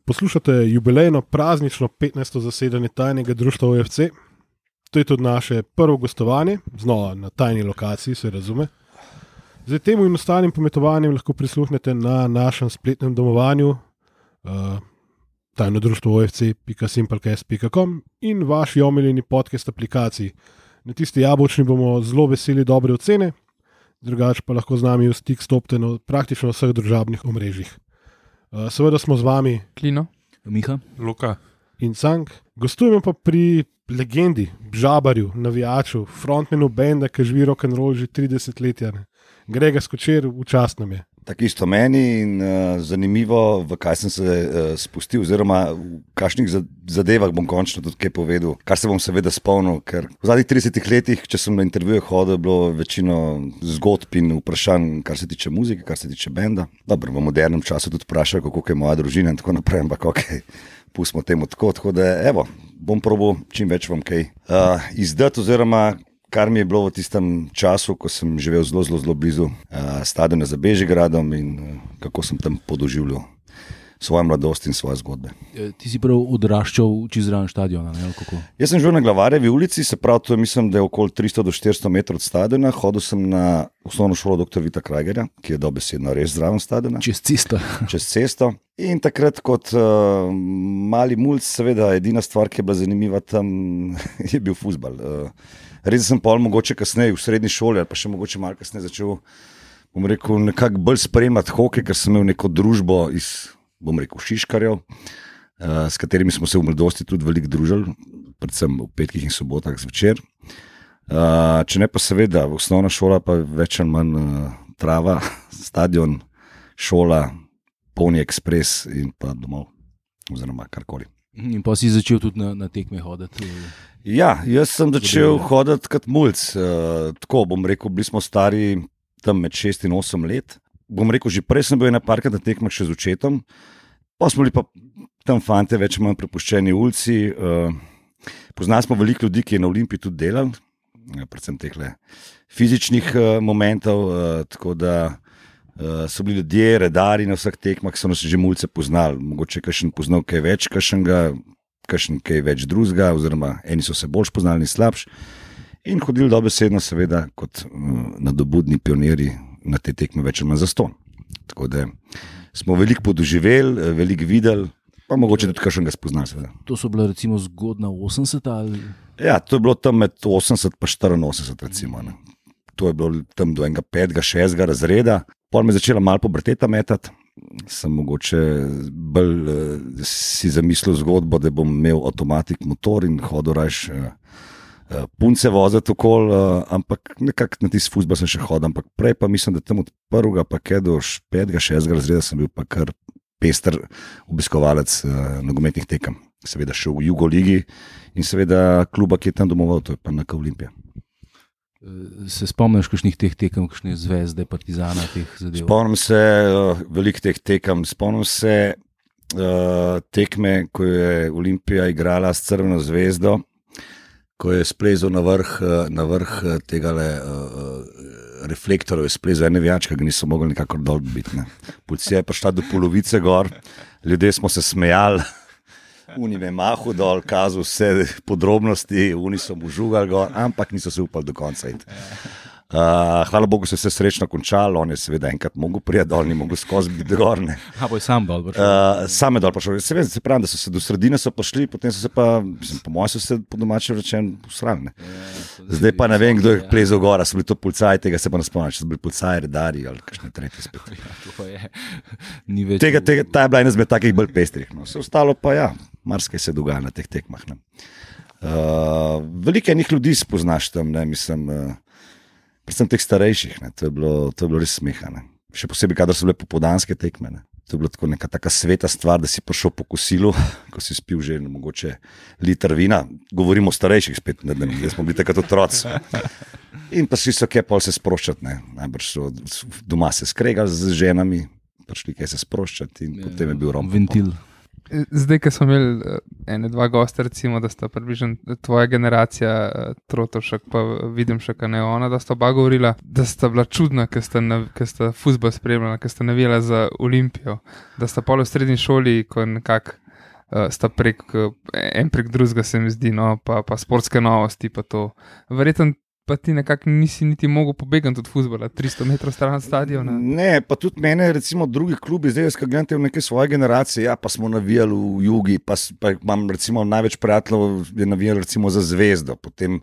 Poslušate jubilejno praznično 15. zasedanje tajnega društva OFC. To je tudi naše prvo gostovanje, znova na tajni lokaciji, se razume. Zdaj temu in ostalim pometovanjem lahko prisluhnete na našem spletnem domovanju tajnodruštvo.ofc.simplecast.com in vaši omiljeni podcast aplikaciji. Na tisti jabolčni bomo zelo veseli dobre ocene, drugače pa lahko z nami v stik stopite na praktično vseh družabnih omrežjih. Seveda smo z vami Klino, Miha, Luka in Cank. Gostujemo pa pri legendi, žabarju, navijaču, frontmenu benda, ki živi rock'n'roll že 30 let. Grega Skočer, včasih nam je. Tako isto meni in zanimivo, v kaj sem se spustil, oziroma v kakšnih zadevah bom končno tudi kaj povedal, kar se bom seveda spomnil, ker v zadnjih 30 letih, če sem na intervjuje hodil, je bilo večino zgodb in vprašanj, kar se tiče muzike, kar se tiče benda. Dobro, v modernem času tudi vprašajo, kako je moja družina in tako naprej, ampak okej, pustimo temu tako da evo, bom probal čim več vam kaj izdati, oziroma kar mi je bilo v tistem času, ko sem živel zelo blizu stadiona za Bežigradom in kako sem tam podoživljal svojo mladost in svoje zgodbe. Ti si prav odraščal čez zraven stadiona, ne? Kako? Jaz sem živel na Glavarjevi ulici, se pravi, to mislim, da je okoli 300 do 400 metrov od stadiona. Hodil sem na osnovno šolo dr. Vita Krajgerja, ki je dobesedno res zraven stadiona. Čez cesto. In takrat kot mali mulc, seveda, edina stvar, ki je bila zanimiva tam, je bil fuzbal. Res sem pa mogoče kasneje v srednji šoli ali pa še mogoče malo kasneje začel, bom rekel, nekako bolj spremljati hokej, ker sem imel neko družbo iz, bom rekel, šiškarjev, s katerimi smo se v mladosti tudi veliko družili, predvsem v petkih in sobotah zvečer. Če ne pa seveda, osnovna šola pa več ali manj trava, stadion, šola, polni ekspres in pa domov, oziroma karkoli. In pa si začel tudi na tekme hoditi? Ja, jaz sem začel hoditi kot mulc. Tako, bom rekel, bili smo stari tam med 6 in 8 let. Bom rekel, že prej sem bil parkrat na tekmah še z očetom, pa smo bili pa tam fante več ali manj prepuščeni ulici. Poznali smo veliko ljudi, ki je na Olimpiji tudi delal, predvsem tehle fizičnih momentov, tako da so bili ljudje, redari na vseh tekmah, so nas že mulce poznali. Mogoče kakšen poznal kaj več, kakšen kaj več drugega, oziroma eni so se bolj poznali in slabši. In hodili dobesedno seveda kot nadobudni pionirji na te tekme več ali manj zastonj. Tako da smo veliko podoživeli, veliko videli, pa mogoče tudi kakšnega spoznali seveda. To so bila recimo zgodna 80 ali? Ja, to je bilo tam med 80 pa 84 recimo. Ne. To je bilo tam do enega 5., 6. razreda. Pol me je začela malo pobrteta metati. Sem mogoče bolj si zamislil zgodbo, da bom imel avtomatik motor in hodil rajš punce voziti okoli, ampak nekako na tisti fuzbal sem še hodil, ampak prej pa mislim, da tam od 1. pa kaj do 5., 6. razreda sem bil pa kar pester obiskovalec nogometnih tekem. Seveda še v Jugoligi in seveda kluba, ki je tam domoval, to je pa NK Olimpija. Se spomniš kakšnih teh tekem, kakšne Zvezde, Partizana, teh zadev? Spomnim se veliko teh tekem. Spomnim se tekme, ko je Olimpija igrala s Crveno zvezdo, ko je splezal na vrh tegale reflektorov, je splezal ene vijač, ki ga niso mogli nikakor dol biti. Policija je prišla do polovice gor, ljudje smo se smejali, Uni me mahu dol, kazal vse podrobnosti, oni so mu žugali gor, ampak niso se upali do konca iti. Hvala Bogu se je vse srečno končalo, on je seveda enkrat mogel prijeti dol, ni mogel skozi biti gor. Bo je sam dol prišel? Sam je dol prišel. Seveda se pravi, da so se do sredine so prišli, potem so se pa, po mojem so se po domače rečen usrali. Zdaj pa ne vem, kdo je plezal gora, so bili to policaj, tega se pa ne spomnim, če so bili policaj, redari ali kakšne tretje spet. Ta je bila ena izmed takih bolj pestrih. Vse ostalo pa ja, marsikaj se dogaja na teh tekmah. Veliko enih ljudi spoznaš tam, mislim, predvsem teh starejših, to je bilo res smeha. Še posebej, kadar so bile popoldanske tekme. To je bila tako neka taka sveta stvar, da si prišel po kosilu, ko si spil že mogoče liter vina. Govorimo o starejših spet, da smo bili takrat otroci. In pa si so kaj pol se sproščati. Najbrž so doma se skregali z ženami, prišli kaj se sproščati in potem je bil rom. Ventil. Zdaj, ko smo imeli ene dva gosta, recimo, da sta približno tvoja generacija, Trotovšek, pa vidim še, kaj ne ona, da sta oba govorila, da sta bila čudna, ker sta fuzbol spremljala, ker sta navijala za Olimpijo, da sta pol v srednji šoli, ko nekako sta en prek drugega, se mi zdi, no, pa sportske novosti, pa to. Verjetno pa ti nekako nisi niti mogel pobegati od fuzbola, 300 metrov stran od stadiona. Ne, pa tudi mene, recimo, drugi klubi, zdaj jaz, ko gledam te v neke svoje generacije, ja, pa smo navijali v Jugi, pa imam, recimo, največ prijateljev je navijali, recimo, za Zvezdo, potem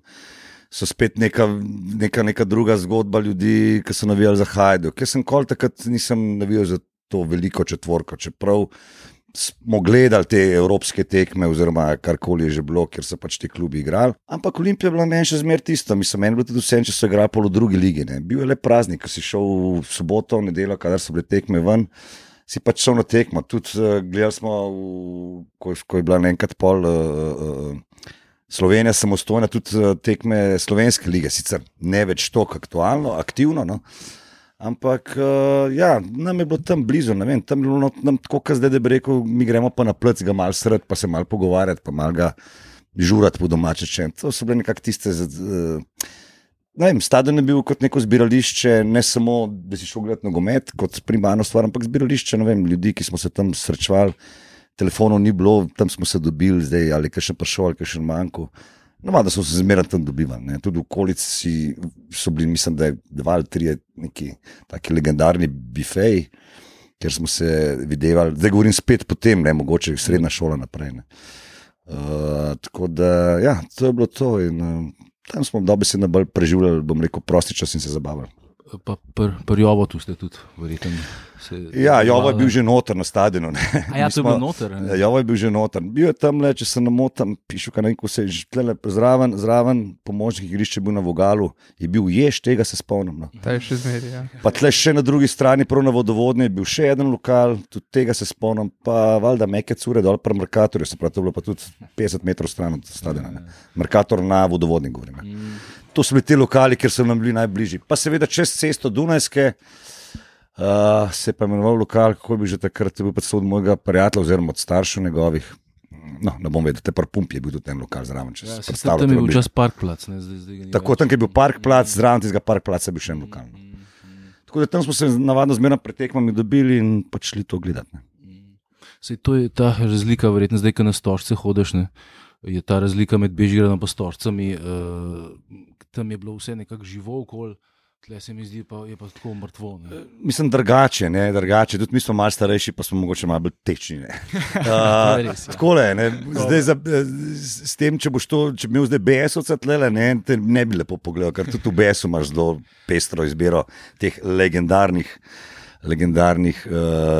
so spet neka druga zgodba ljudi, ki so navijali za Hajduk. Jaz sem takrat nisem navijal za to veliko četvorko, čeprav smo gledali te evropske tekme oziroma karkoli je že bilo, kjer so pač ti klubi igrali. Ampak Olimpija je bila meni še zmer tisto. Mislim, meni je bilo tudi vse, če so igrali pol v drugi ligi. Ne. Bil je le praznik, ko si šel v soboto, v nedeljo, kadar so bile tekme ven, si pač šel na tekmo. Tudi gledali smo, ko je bila enkrat pol Slovenija samostojna, tudi tekme slovenske lige, sicer ne več toliko aktualno, aktivno, no. Ampak, ja, nam je bilo tam blizu, ne vem, tam je bilo nam tako, kot zdaj, da bi rekel, mi gremo pa na plec, ga malo sredi, pa se malo pogovarjati, pa malo ga žurati po domače čem. To so bile nekako tiste, ne vem, stadion je bil kot neko zbirališče, ne samo, da si šel gledati nogomet, kot primarno stvar, ampak zbirališče, ne vem, ljudi, ki smo se tam srečevali, telefonov ni bilo, tam smo se dobili zdaj, ali kaj še prišel, ali kaj še manjko. No, da so se zmeraj tam dobivali. Ne. Tudi v okolici so bili, mislim, da je 2 ali 3 neki taki legendarni bifeji, kjer smo se videvali. Zdaj govorim spet potem, ne, mogoče srednja šola naprej. Ne. Tako da, ja, to je bilo to. In, tam smo dobesedno bolj preživljali, bom rekel, prosti čas in se zabavali. Pa pri Jovotu ste tudi, verjetno. Ja, Jovo je bil že noter na stadionu. A ja, to je bil noter? Jovo je bil že noter. Bil je tam, če se namotam, pišu, kaj neko se je tlele zraven pomočnik igrišče bil na Vogalu, je bil Jež, tega se spomnim. No. Ta je še zmeri, ja. Pa tle še na drugi strani, prav na Vodovodni, je bil še eden lokal, tudi tega se spomnim, pa valjda Meke Cure dol pri Merkatorju, se pravi, to je bilo pa tudi 50 metrov stran od stadiona. Merkator na Vodovodni, govorim. To so bili ti lokali, kjer so nam bili najbližji. Pa seveda čez cesto Dunajske se je pa imenoval lokal, kako je bil že takrat, je bil pa od mojega prijatelja oziroma od staršev njegovih. No, ne bom vedel, te par Pump je bil tudi ten lokal zraven. Ja, tam je bil čas Parkplac. Tako, tam je bil Parkplac, zraven tistega Parkplaca je bil še en lokal. Tako da tam smo se navadno zmerno pred tekmami dobili in pač šli to gledati. Sej to je ta razlika, verjetno zdaj, ko na Stožce hodiš, ne? Je ta razlika med Bežigradom pa Stožcami, tam je bilo vse nekako živo okoli, tle se mi zdi, pa je pa tako mrtvo. Ne? Mislim, drugače, tudi mi smo malo starejši, pa smo mogoče malo bolj tečni. Takole, ne, zdaj s tem, če bi imel zdaj BS-ovca tlele, te ne bi lepo pogledal, ker tudi v BS-u imaš zelo pestro izbiro teh legendarnih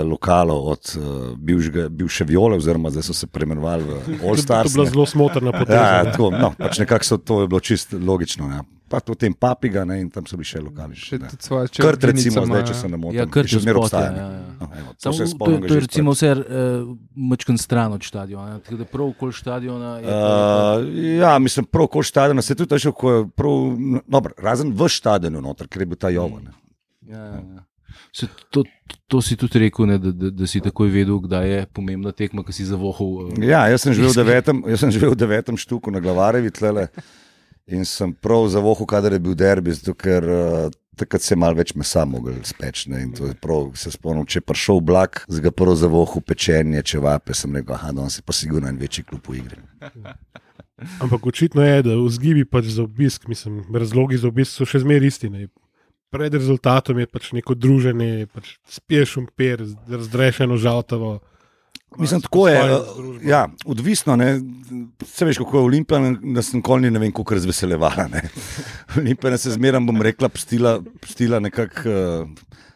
lokalov od bivše Viole, oziroma zdaj so se preimenovali v All Stars. To je bila zelo smotrna poteza. Ja, tako, no, pač nekako to je bilo čisto logično. Ja. Pa potem Papiga, ne, in tam so bili še lokali. Krt recimo, zdaj, če se ne motim. Ja, Krt je zmer spot, obstaja. To je recimo vse mačkan stran od stadiona. Tako da prav okoli stadiona ja, mislim, prav okoli stadiona se tudi še razen v stadionu noter, ker je bil ta Jovo. Ja. To si tudi rekel, ne, da si takoj vedel, kdaj je pomembna tekma, ki si zavohal. Ja, jaz sem živel v 9. štuku na Glavarevi tlele in sem prav zavohal, kadar je bil derbi, zato ker takrat se je malo več mesa mogel speč. Ne, in to je prav, se spomnim, če je prišel Oblak, z ga prvo zavohal pečenje, čevape, sem rekel, danes je pa sigurno en večji klub v igri. Ampak očitno je, da vzgibi pač za obisk, mislim, razlogi za obisk so še zmer isti. Ne. Pred rezultatom je pač neko druženje, pač spiješ umpir, razdrešeno žaltavo. Mislim, tako je, ja, odvisno, ne, se veš, kako je Olimpija, da sem nikoli ne vem, koliko razveselevala, ne. Olimpija se zmeram, bom rekla, pustila nekako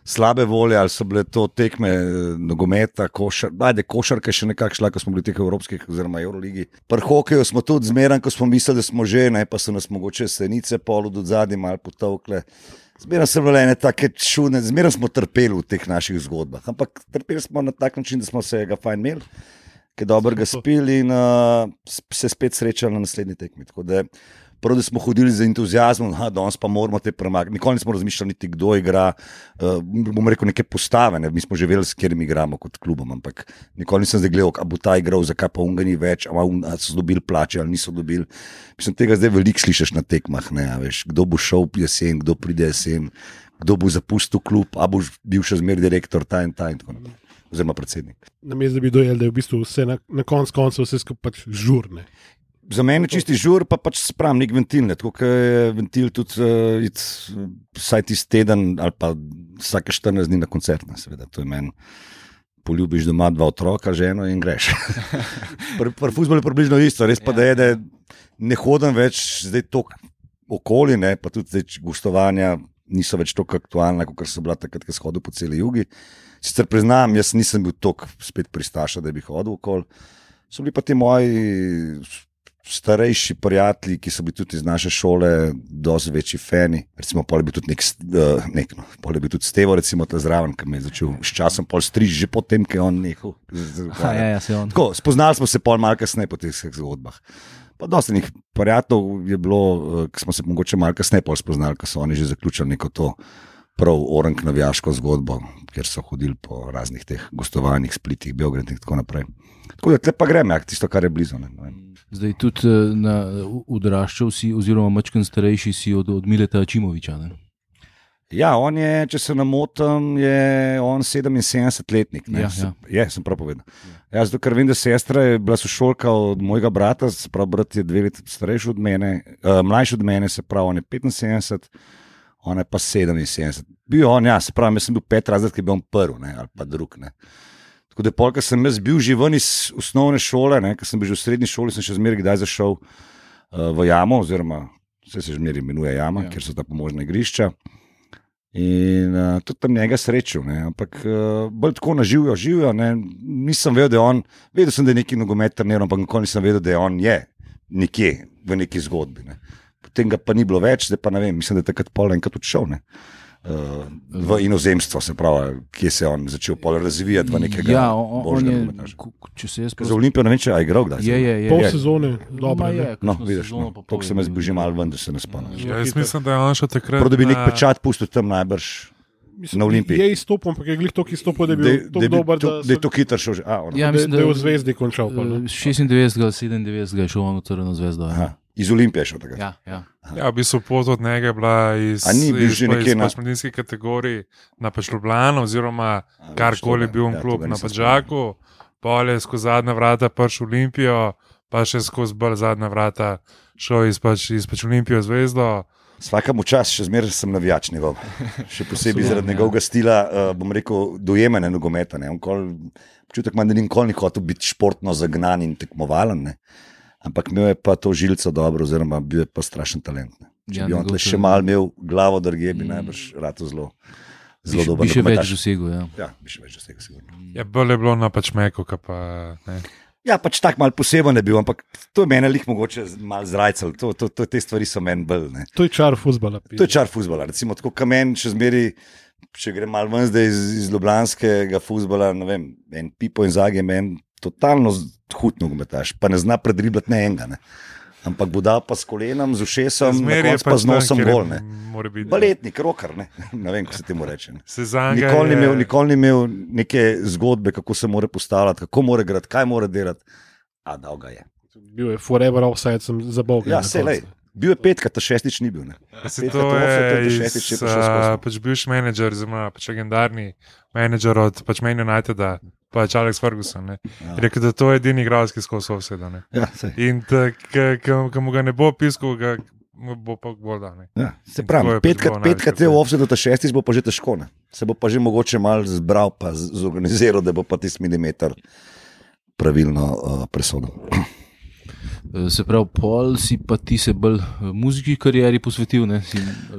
slabe volje, ali so bile to tekme nogometa, košarke še nekako šla, ko smo bili teh evropskih oziroma Euroligi. Pri hokeju smo tudi zmeram, ko smo mislili, da smo že, ne, pa so nas mogoče senice pol od zadnji malo potovkle. Zmeraj so bile ene take čudne, zmeraj smo trpeli v teh naših zgodbah, ampak trpeli smo na tak način, da smo se ga fajn imeli, ki je dobro ga spili in se spet srečali na naslednji tekmi. Tako da Prvo, da smo hodili z entuziazmom, danes pa moramo te premagati. Nikoli nismo razmišljali, niti kdo igra. Bomo rekel, neke postave. Ne? Mi smo že vedeli, s katerimi igramo kot klubom, ampak nikoli nisem zdaj gledal, a bo ta igral, zakaj pa unga ni več, a so dobili plače ali niso dobili. Mislim, tega zdaj veliko slišiš na tekmah. Ne? Veš, kdo bo šel jesen, kdo pride jesen, kdo bo zapustil klub, a bo bil še zmeraj direktor, ta in tako naprej. Oziroma predsednik. Namesto da bi dojel, da je v bistvu vse na koncu vse skupaj pač žurne. Za mene je čisti žur, pa pač spravim nek ventil. Tako je ventil tudi vsaj tisti teden ali pa vsake 14 dni na koncert. Seveda. To je meni. Poljubiš doma 2 otroka, ženo in greš. Pri fuzbolu je približno isto. Res pa da je, da ne hodim več zdaj toliko okoli, ne, pa tudi zdaj gostovanja niso več toliko aktualna, kot so bila takrat, ko sem hodil po celi jugi. Sicer priznam, jaz nisem bil toliko spet pristaša, da bi hodil okoli. So bili pa ti moji starejši prijatelji, ki so bili tudi iz naše šole, dosti večji fani. Recimo, pol je bil tudi pol je bil tudi Stevo, recimo, ta zraven, ki me je začel s časom pol striži, že potem, ko je on nehal. Tako, spoznali smo se pol malo kasneje po teh zgodbah. Pa dosti njih prijateljev je bilo, ki smo se mogoče malo kasneje pol spoznali, ko so oni že zaključili neko to prav orank navijaško zgodbo, kjer so hodili po raznih teh gostovanjih, Splitih, Beogradih in tako naprej. Tako da tle pa grem, tisto, kar je blizu. Ne. Zdaj tudi odraščal si, oziroma mačken starejši si od Mileta Ačimoviča. Ne? Ja, on je, če se ne motim, je on 77-letnik. Ja, sem prav povedal. Ja, zato, ker vem, da sestra je bila sošolka od mojega brata, se pravi, brat je 2 leta starejši od mene, mlajši od mene, se pravi, on je 75, on je pa 77. Bil on, ja, se pravi, jaz sem bil 5 razred, ki je bil on prvi, ne, ali pa drug, ne. Tako da polka sem jaz bil že ven iz osnovne šole, ne, ker sem bil že v srednji šoli, sem še zmeraj kdaj zašel v jamo, oziroma vse se zmeraj imenuje jama, kjer so ta pomožna igrišča. In tudi tam njega srečal, ne, ampak bolj tako živijo, ne, nisem vedel, da je on, vedel sem, da je neki nogomet treniral, ampak nikoli nisem vedel, da je on je nekje v neki zgodbi, ne. Potem ga pa ni bilo več, zdaj pa ne vem, mislim, da je takrat pol enkrat odšel, ne. V inozemstvo, se pravi, kje se je on začel razvijati v nekega božjega nogometaša. Za Olimpijo ne vem, če je igral kdaj. Je. Pol sezone, dobro. No, vidiš, toliko sem jaz bil že malo ven, da se ne spomnim. Ja, jaz mislim, da je on še takrat... Prav, da bi nek pečat pustil tam najbrž na Olimpiji. Je izstopil, ampak je glih toliko izstopil, da je bil dober, da je to hitro šel že. Ja, mislim, da je v Zvezdi končal. 96, 97 je šel on v Crveno zvezdo. Iz Olimpije šel takrat. Ja. Ja, v bistvu pot od njega je bila iz mladinskih kategorij na Ljubljano, oziroma karkoli bil klub na Padžaku, pol je skozi zadnja vrata prišel v Olimpijo, pa še skozi bolj zadnja vrata šel iz Olimpijo zvezdo. Svakemu čas, še zmeraj sem navijač njegov. Še posebej zaradi njegovega stila, bom rekel, dojemanja nogometa. Občutek imam, da ni nikoli hotel biti športno zagnan in tekmovalen, ne. Ampak imel je pa to žilico dobro, oziroma bil je pa strašen talent. Ne. Če bi on tle še mal imel glavo drugje, bi najbrž rato zelo dober. Bi še več dosegel, ja. Ja, bi še več dosegel, sigurno. Ja, bolj je bilo na Pačmeku, ka pa ne. Ja, pač tak mal poseben je bil, ampak to je mene lih mogoče mal zrajcal. Te stvari so meni bolj, ne. To je čar fuzbala. To je čar fuzbala. Recimo tako kamen, še zmeri, če grem mal ven zdaj iz ljubljanskega fuzbala, ne vem, en Pipo in Zagi je meni totalno hud nogometaš, pa ne zna predriblati ne enega, ne. Ampak bo dal pa s kolenom, z ušesom, na koncu pa z nosom gol, ne. Baletnik, rocker, ne. Ne vem, ko se temu reče. Nikoli ni imel neke zgodbe, kako se mora postavljati, kako mora igrati, kaj mora delati, a dal ga je. Bil je forever offside, sem za Boga. Ja, se lej. Bil je 5, ta 6 ni bil. Ne. To je pač bivši menedžer, pač legendarni menedžer od pač Man Uniteda, pač Alex Ferguson. Rekel, da to je edini igralec, ki skozi offside. Ja, in ko mu ga ne bo piskal, ga bo pa bolj dan. Ja, se pravi, 5 je v offside, ta 6 bo pa že težko. Ne. Se bo pa že mogoče malo zbral, pa zorganiziral, da bo pa tisti milimeter pravilno presodil. Se pravi, pol si pa ti se bolj muziki karieri posvetil, ne?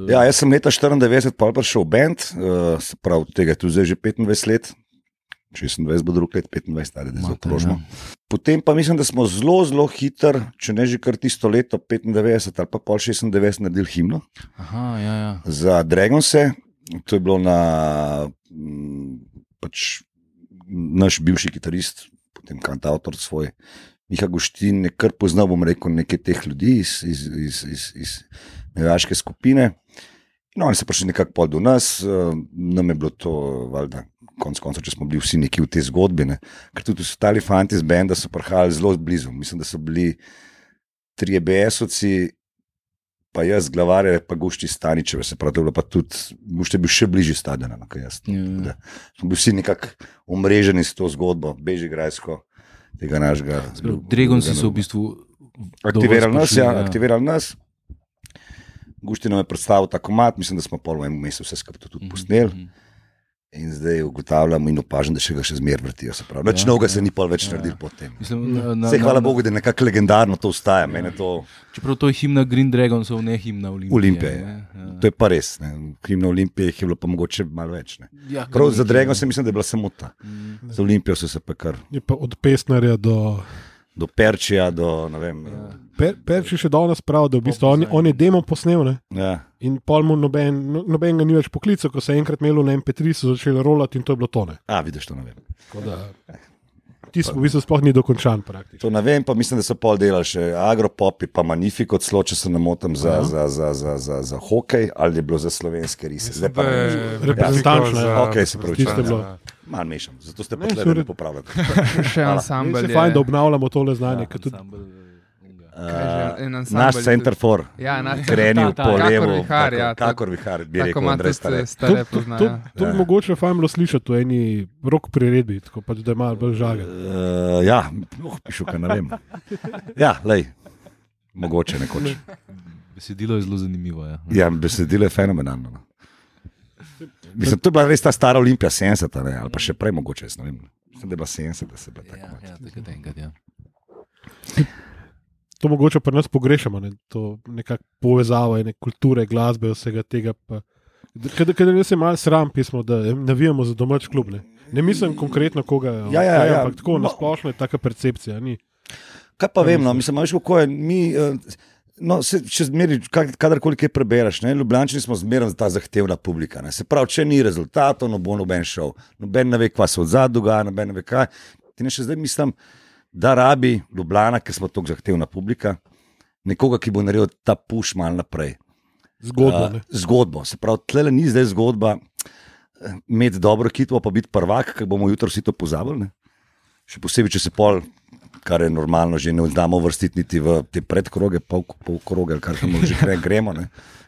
Ja, jaz sem leta 94 pol prišel v band, se pravi, tega je tu zdaj že 25 let, 26 bo drug let, 25, ali da se okrožimo. Potem pa mislim, da smo zelo hiter, če ne že kar tisto leto, 95 ali pa pol 96 naredili himno. Aha, ja. Za Dragonse, to je bilo na pač naš bivši kitarist, potem kantautor svoj, Miha Guštin je kar poznal, bom rekel, nekaj teh ljudi iz navijaške skupine. In oni so prišli nekako pol do nas, nam je bilo to, valjda, konec koncev, če smo bili vsi neki v tej zgodbi, ne. Ker tudi ostali fanti iz benda so prihajali zelo blizu. Mislim, da so bili 3 BS-ovci, pa jaz, Glavarje, pa Gušti Staničeve, se pravi, to je bilo pa tudi, Gušti je bil še bližji stadiona, kot jaz. Smo bili vsi nekako omreženi s to zgodbo, bežigrajsko, tega našega. Dragonsi so v bistvu aktivirali nas. Gušti nam je predstavil ta komad, mislim, da smo pol v enem mesecu vse skupaj tudi posneli. In zdaj ugotavljamo in opažam, da ga še zmeraj vrtijo. Več novega se ni pol več naredil po tem. Hvala Bogu, da je nekako legendarno to ostaja. Čeprav to je himna Green Dragonsov, ne himna Olimpije. To je pa res. Himna Olimpije je bilo pa mogoče malo več. Prav za Dragons mislim, da je bila samo ta. Za Olimpijo so se pa kar. Je pa od Pesnarja do Perčija, do ne vem. Perči še danes pravi, da v bistvu on je demo posnel, ne? Ja. In pol mu noben ga ni več poklical, ko se je enkrat imelo na MP3, so začeli rolati in to je bilo to, ne? Vidiš, to ne vem. Tisto v bistvu sploh ni dokončan praktično. To ne vem, pa mislim, da so pol delali še Agropopi, pa Magnifico, celo če se ne motim za hokej, ali je bilo za slovenske rise. Zdaj pa reprezentančno. Ok, se pravi, malo mešam, zato ste pa tukaj ne popravljate. Še ansambl je. Se fajn, da obnavljamo tole znanje. Naš center for krenil po levo, kakor vihar, bi rekel Andrej Stare. To bi mogoče fajn bilo slišati v eni rock priredbi, tako pač, da je malo bolj žagen. Pišu, kaj ne vem. Ja, lej, mogoče nekoč. Besedilo je zelo zanimivo. Ja, besedilo je fenomenalno. Mislim, to je bila res ta stara Olimpija 70, ali pa še prej mogoče, jaz ne vem. Mislim, da je bila 70, da se je bila tako. Ja, takrat enkrat, ja. To mogoče pri nas pogrešamo, ne? To nekako povezava ene kulture, glasbe, vsega tega. Kadar ne se malo sram pismo, da navijamo za domač klub. Ne mislim konkretno koga, ampak tako nasplošno je taka percepcija. Kaj pa vem, mislim, kako je mi... če zmeri, kadarkoli kaj prebereš, Ljubljančani smo zmeraj ta zahtevna publika. Se pravi, če ni rezultatov, no bo noben šel. Noben ne ve, kva se odzad dogaja, noben ne ve kaj. Ti ne še zdaj mislim, da rabi Ljubljana, ker smo tako zahtevna publika, nekoga, ki bo naredil ta push malo naprej. Zgodbo. Se pravi, tlele ni zdaj zgodba imeti dobro ekipo, pa biti prvak, ker bomo jutro vsi to pozabili. Še posebej, če se pol, kar je normalno, že ne znamo vrstiti niti v te predkroge, pol kroge, ali kar tam že gremo.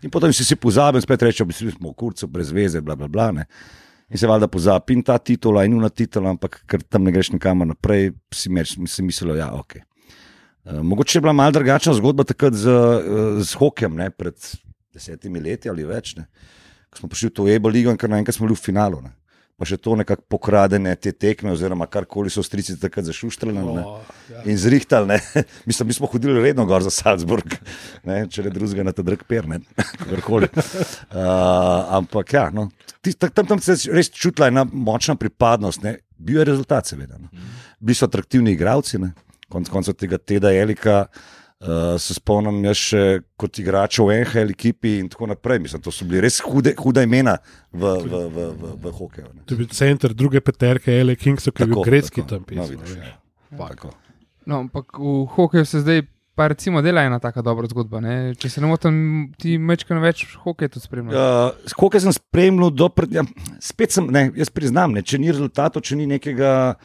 In potem si pozabili, spet rečemo, da smo v kurcu, brez veze, bla, bla, bla. In se valjda pozabi in ta titula in una titula, ampak ker tam ne greš nikamor naprej, si mislilo, ja, ok. Mogoče je bila malo drugačna zgodba takrat z hokejem, pred 10 leti ali več, ko smo prišli v to EBO ligo in kar naenkrat smo bili v finalu. Pa še to nekako pokradene te tekme, oziroma karkoli so strici takrat zašuštrali in zrihtali. Mislim, mi smo hodili redno gor za Salzburg, če ne drugega na ta drug per, kakorkoli. Ampak ja, tam se je res čutila ena močna pripadnost. Bil je rezultat, seveda. Bili so atraktivni igravci, konec koncev tega Teda Elika. Se spomnim jaz še kot igrač v NHL ekipi in tako naprej. Mislim, to so bili res huda imena v hokeju. To je bil center druge peterke, LA Kings, ki je bil grecky tam pisal. Ampak v hokeju se zdaj pa recimo dela ena taka dobra zgodba. Če se ne motim, ti mečkano več hokej tudi spremljal. Hokej sem spremljal spet sem, jaz priznam, če ni rezultatov, če ni nekega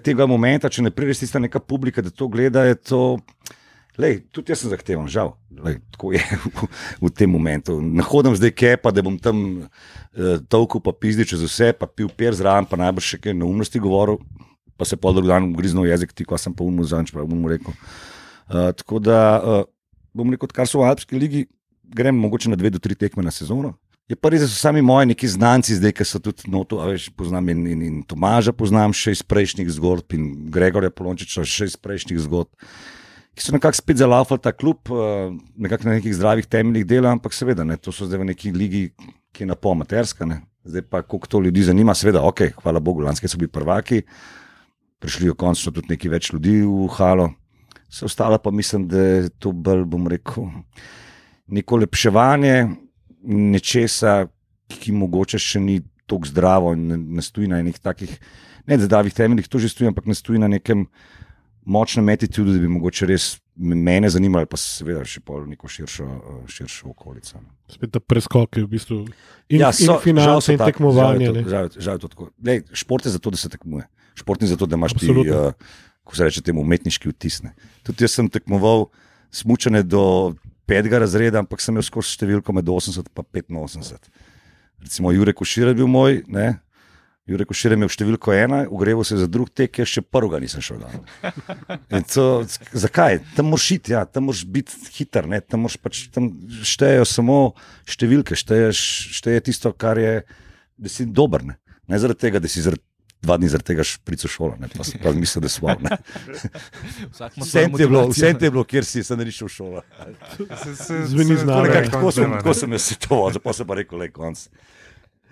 tega momenta, če ne prideš tista neka publika, da to gleda, je to... tudi jaz sem zahteven, žal. Tako je v tem momentu. Ne hodim zdaj kepa, da bom tam tolkel pa pizdi čez vse, pa pil per zraven, pa najbrž še kaj neumnosti govoril, pa se pol drug dan griznil jezik, ti, ko sem pa umil zanč, pa bom mu rekel. Tako da, bom rekel, kar so v Alpski ligi, grem mogoče na 2 do 3 tekme na sezono. Je pa res, da so sami moji neki znanci zdaj, ki so tudi noto, poznam in Tomaža poznam še iz prejšnjih zgodb in Gregorja Polončiča še iz prejšnjih zgodb, ki so nekako spet zalaufali ta klub, nekako na nekih zdravih temeljih dela, ampak seveda, to so zdaj v neki ligi, ki je napol amaterska, zdaj pa koliko to ljudi zanima, seveda, ok, hvala Bogu, lanske so bili prvaki, prišli jo končno tudi neki več ljudi v halo, se ostalo pa mislim, da je to bolj, bom rekel, neko lepševanje nečesa, ki mogoče še ni toliko zdravo in ne stoji na enih takih, ne zdravih temeljih, to že stoji, ampak ne stoji na nekem močne meti tudi, da bi mogoče res mene zanimali, pa seveda še pol neko širšo okolico. Spet ta preskok je v bistvu in finance in tekmovanje. Žal je to tako. Lej, šport je zato, da se tekmuje. Šport je zato, da imaš ti, ko se reče temu, umetniški vtis. Tudi jaz sem tekmoval smučanje do 5. razreda, ampak sem imel skozi številko med 80 in 85. Recimo Jure Košir je bil moj, ne? Jure Košir je imel številko 1, ugreval se za drug tek, jaz še prvega nisem šel dan. In to, zakaj? Tam moraš iti, ja, tam moraš biti hiter, ne? Tam štejejo samo številke, šteje tisto, kar je, da si dober, ne zaradi tega, da si 2 dni zaradi tega šprico šola, ne, pa mislim, da smo, ne. Vse je bilo, kjer si, sem ne šel v šolo. Zveni znano. Tako sem jaz situoval, pa se pa rekel, le konc.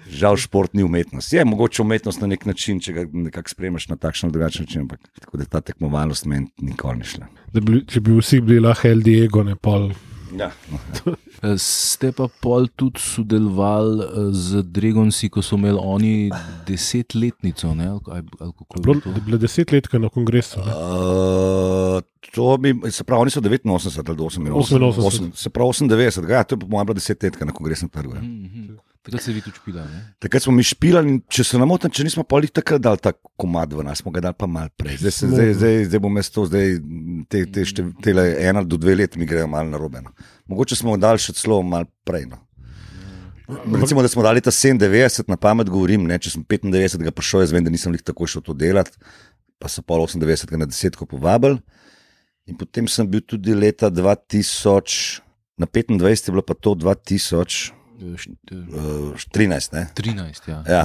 Žal šport ni umetnost. Je mogoče umetnost na nek način, če ga nekako spremeš na takšen ali drugačen način, ampak tako da ta tekmovalnost meni nikoli ni šla. Če bi vsi bili lahko healthy ego, ne pol. Ja. Ste pa pol tudi sodelovali z Dragonsi, ko so imeli oni 10-letnico, ne? Bila 10-letka na kongresu. Se pravi, oni so 89 ali 88. Se pravi 98, ja, to je moja bila 10-letka na kongresnem trgu. Takrat se vi tudi špila, ne? Takrat smo mi špilali in če se namotam, če nismo polih takrat dali ta komad v nas, smo ga dali pa malo prej. Zdaj bom jaz to, tele 1 do 2 let mi grejo malo narobe. No. Mogoče smo dali še celo malo prej. No. Recimo, da smo dali ta 97, na pamet govorim, ne, če sem 95 prišel, jaz vem, da nisem lih tako šel to delati, pa so pol 98 na 10 povabili. In potem sem bil tudi leta 2000, na 25 je bilo pa to 2013, ne? 13, ja. Ja.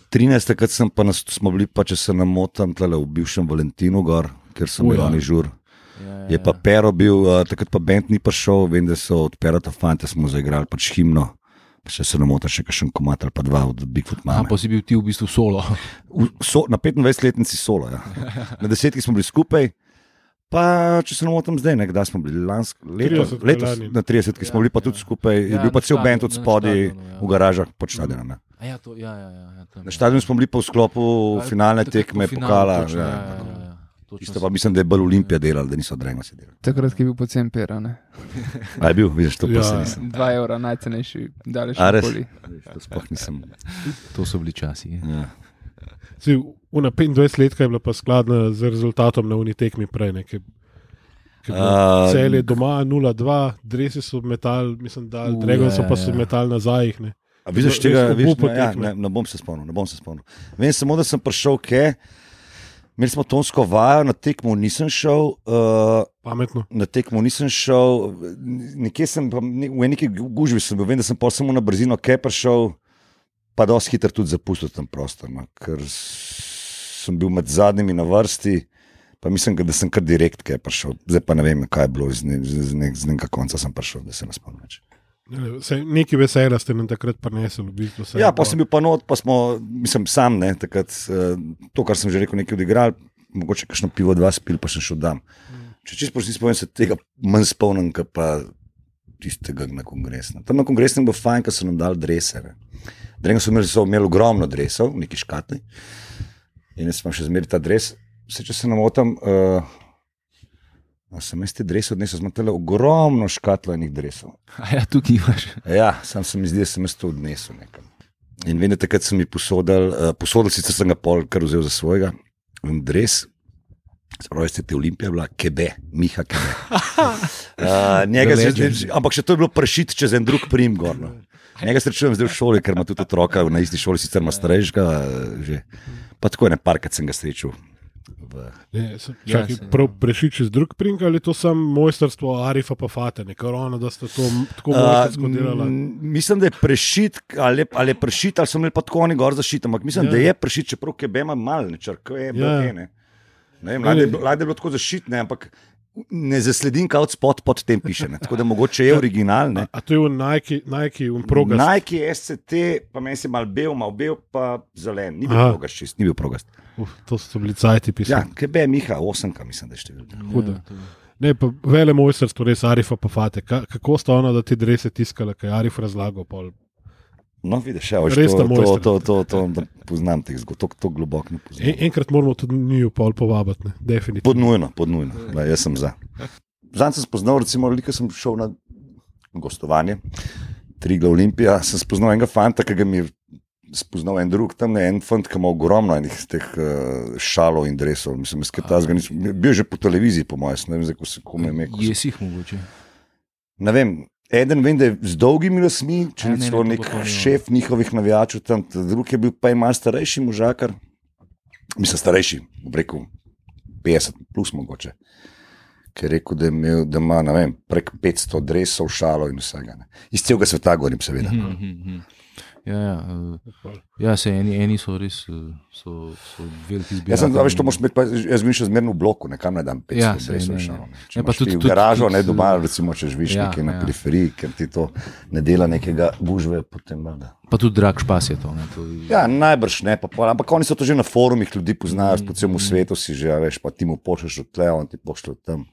13, takrat smo bili pa, če se namotam, tlele v bivšem Valentinu gor, ker so imeli oni žur. Je pa Pero bil, takrat pa band ni prišel, vem, da so od Perota fante smo zaigrali pač himno, pa če se namotam še kakšen komad ali pa 2 od Bigfoot Mame. Pa si bil ti v bistvu solo. Na 25-letnici solo, ja. Na 10 smo bili skupaj. Pa, če se namotam zdaj, kdaj smo bili letos, na 30, ki smo bili pa tudi skupaj, je bil pa cel band od spodaj v garažah pod štadionom. Na štadionu smo bili pa v sklopu finalne tekme pokala. Isto pa mislim, da je bolj Olimpija delala, da niso Dragonsi delali. Takrat, ki je bil pocen pera, ne? A je bil, vidiš, to pa se nisem. 2 evra najcenejši, daleč okoli. To sploh nisem. To so bili časi. Ja. Una 25-letka je bila pa skladna z rezultatom na unitekmi prej, Celje doma 0-2, dresi so metal, mislim, da Dragonsi pa so metal nazaj. A vidiš tega, ne bom se spomnil. Vem samo, da sem prišel imeli smo tonsko vajo, na tekmo nisem šel. Pametno. Na tekmo nisem šel, nekje sem, v neki gužvi sem bil, vem, da sem pa samo na brzino prišel, pa dosti hitro tudi zapustil tam prostor, ker sem bil med zadnjimi na vrsti, pa mislim, da sem kar direkt prišel. Zdaj pa ne vem, kaj je bilo, z nekega konca sem prišel, da se ne spomnim več. Neki veselja ste nam takrat prinesli. Ja, pa sem bil pa not, pa smo, mislim, sam, takrat, to, kar sem že rekel, nekaj odigral, mogoče kakšno pivo 2 spil, pa sem šel dam. Če čisto si spomnim, se tega manj spomnim, kot pa tistega na kongresnem. Tam na kongresnem bo fajn, ker so nam dali drese. Dragonsi so imeli ogromno dresov, neki škatli. In jaz sem še zmeri ta dres. Če se namotam, sem jaz te drese odnesel, smo tele ogromno škatlo enih dresov. A ja, tukaj imaš. Ja, sam se mi zdi, da sem jaz to odnesel nekam. In vem, da takrat sem mi posodil, sicer sem ga pol kar vzel za svojega, in dres, spravi ste te Olimpija bila, Miha Kebe. Ampak še to je bilo prešit čez en drug prim gorno. Njega srečujem zdaj v šoli, ker ima tudi otroka, na isti šoli sicer ima starejšega, že. Pa tako je parkrat sem ga srečal. Prav prešit čez drug prim, ali to sam mojsterstvo Arifa pa Fatene, ker ona, da sta to tako mojstersko delala? Mislim, da je prešit, ali je prešit, ali so imeli pa tako oni gor zašit, ampak mislim, da je prešit, čeprav Kebe ima mal, ne vem, lajde je bilo tako zašit, ampak ne zasledim, kaj od spod pod tem piše, tako da mogoče je original. A to je v Nike progast? Nike SCT, pa meni se mal bel, pa zelen, ni bil progast čist, ni bil progast. To so bili cajti pisali. Ja, Kebe Miha, 8, mislim, da je številka. Huda. Ne, pa vele mojsterstvo res Arifa pa Fate. Kako sta ona, da ti drese tiskala, kaj je Arif razlagal pol? No, vidiš, to poznam teh zgodb, to globoko ne poznam. Enkrat moramo tudi njiju pol povabiti, definitivno. Podnujno, jaz sem za. Zanj sem spoznal, recimo, ko sem šel na gostovanje, Triglav Olimpija, sem spoznal enega fanta, ki ga mi je spoznal en drug, tam je en fant, ki ima ogromno enih teh šalov in dresov. Mislim, bil že po televiziji, po mojem, ne vem, zdaj, ko se kome ime. Jesih mogoče. Ne vem, eden vem, da je z dolgimi lasmi, če ni celo nek šef njihovih navijačev tam, drug je bil pa je malo starejši možakar, mislim starejši, bom rekel 50 plus mogoče, ki je rekel, da ima, ne vem, prek 500 dresov, šalov in vsega. Ne. Iz celega sveta govorim, seveda. Ja, se eni so res so veliki zbiratelji. Jaz sem to moš imeti, jaz vim še zmerno v bloku, nekam ne dam 500 dresov šalov. Če imaš ti v garažo, ne doma, recimo, če živiš nekaj na periferiji, ker ti to ne dela nekega gužve, potem da. Pa tudi drag špas je to. Ja, najbrž ne, ampak oni so to že na forumih, ljudi poznajo, po celem svetu si že, veš, pa ti mu pošlješ od tle, on ti pošlje od tam.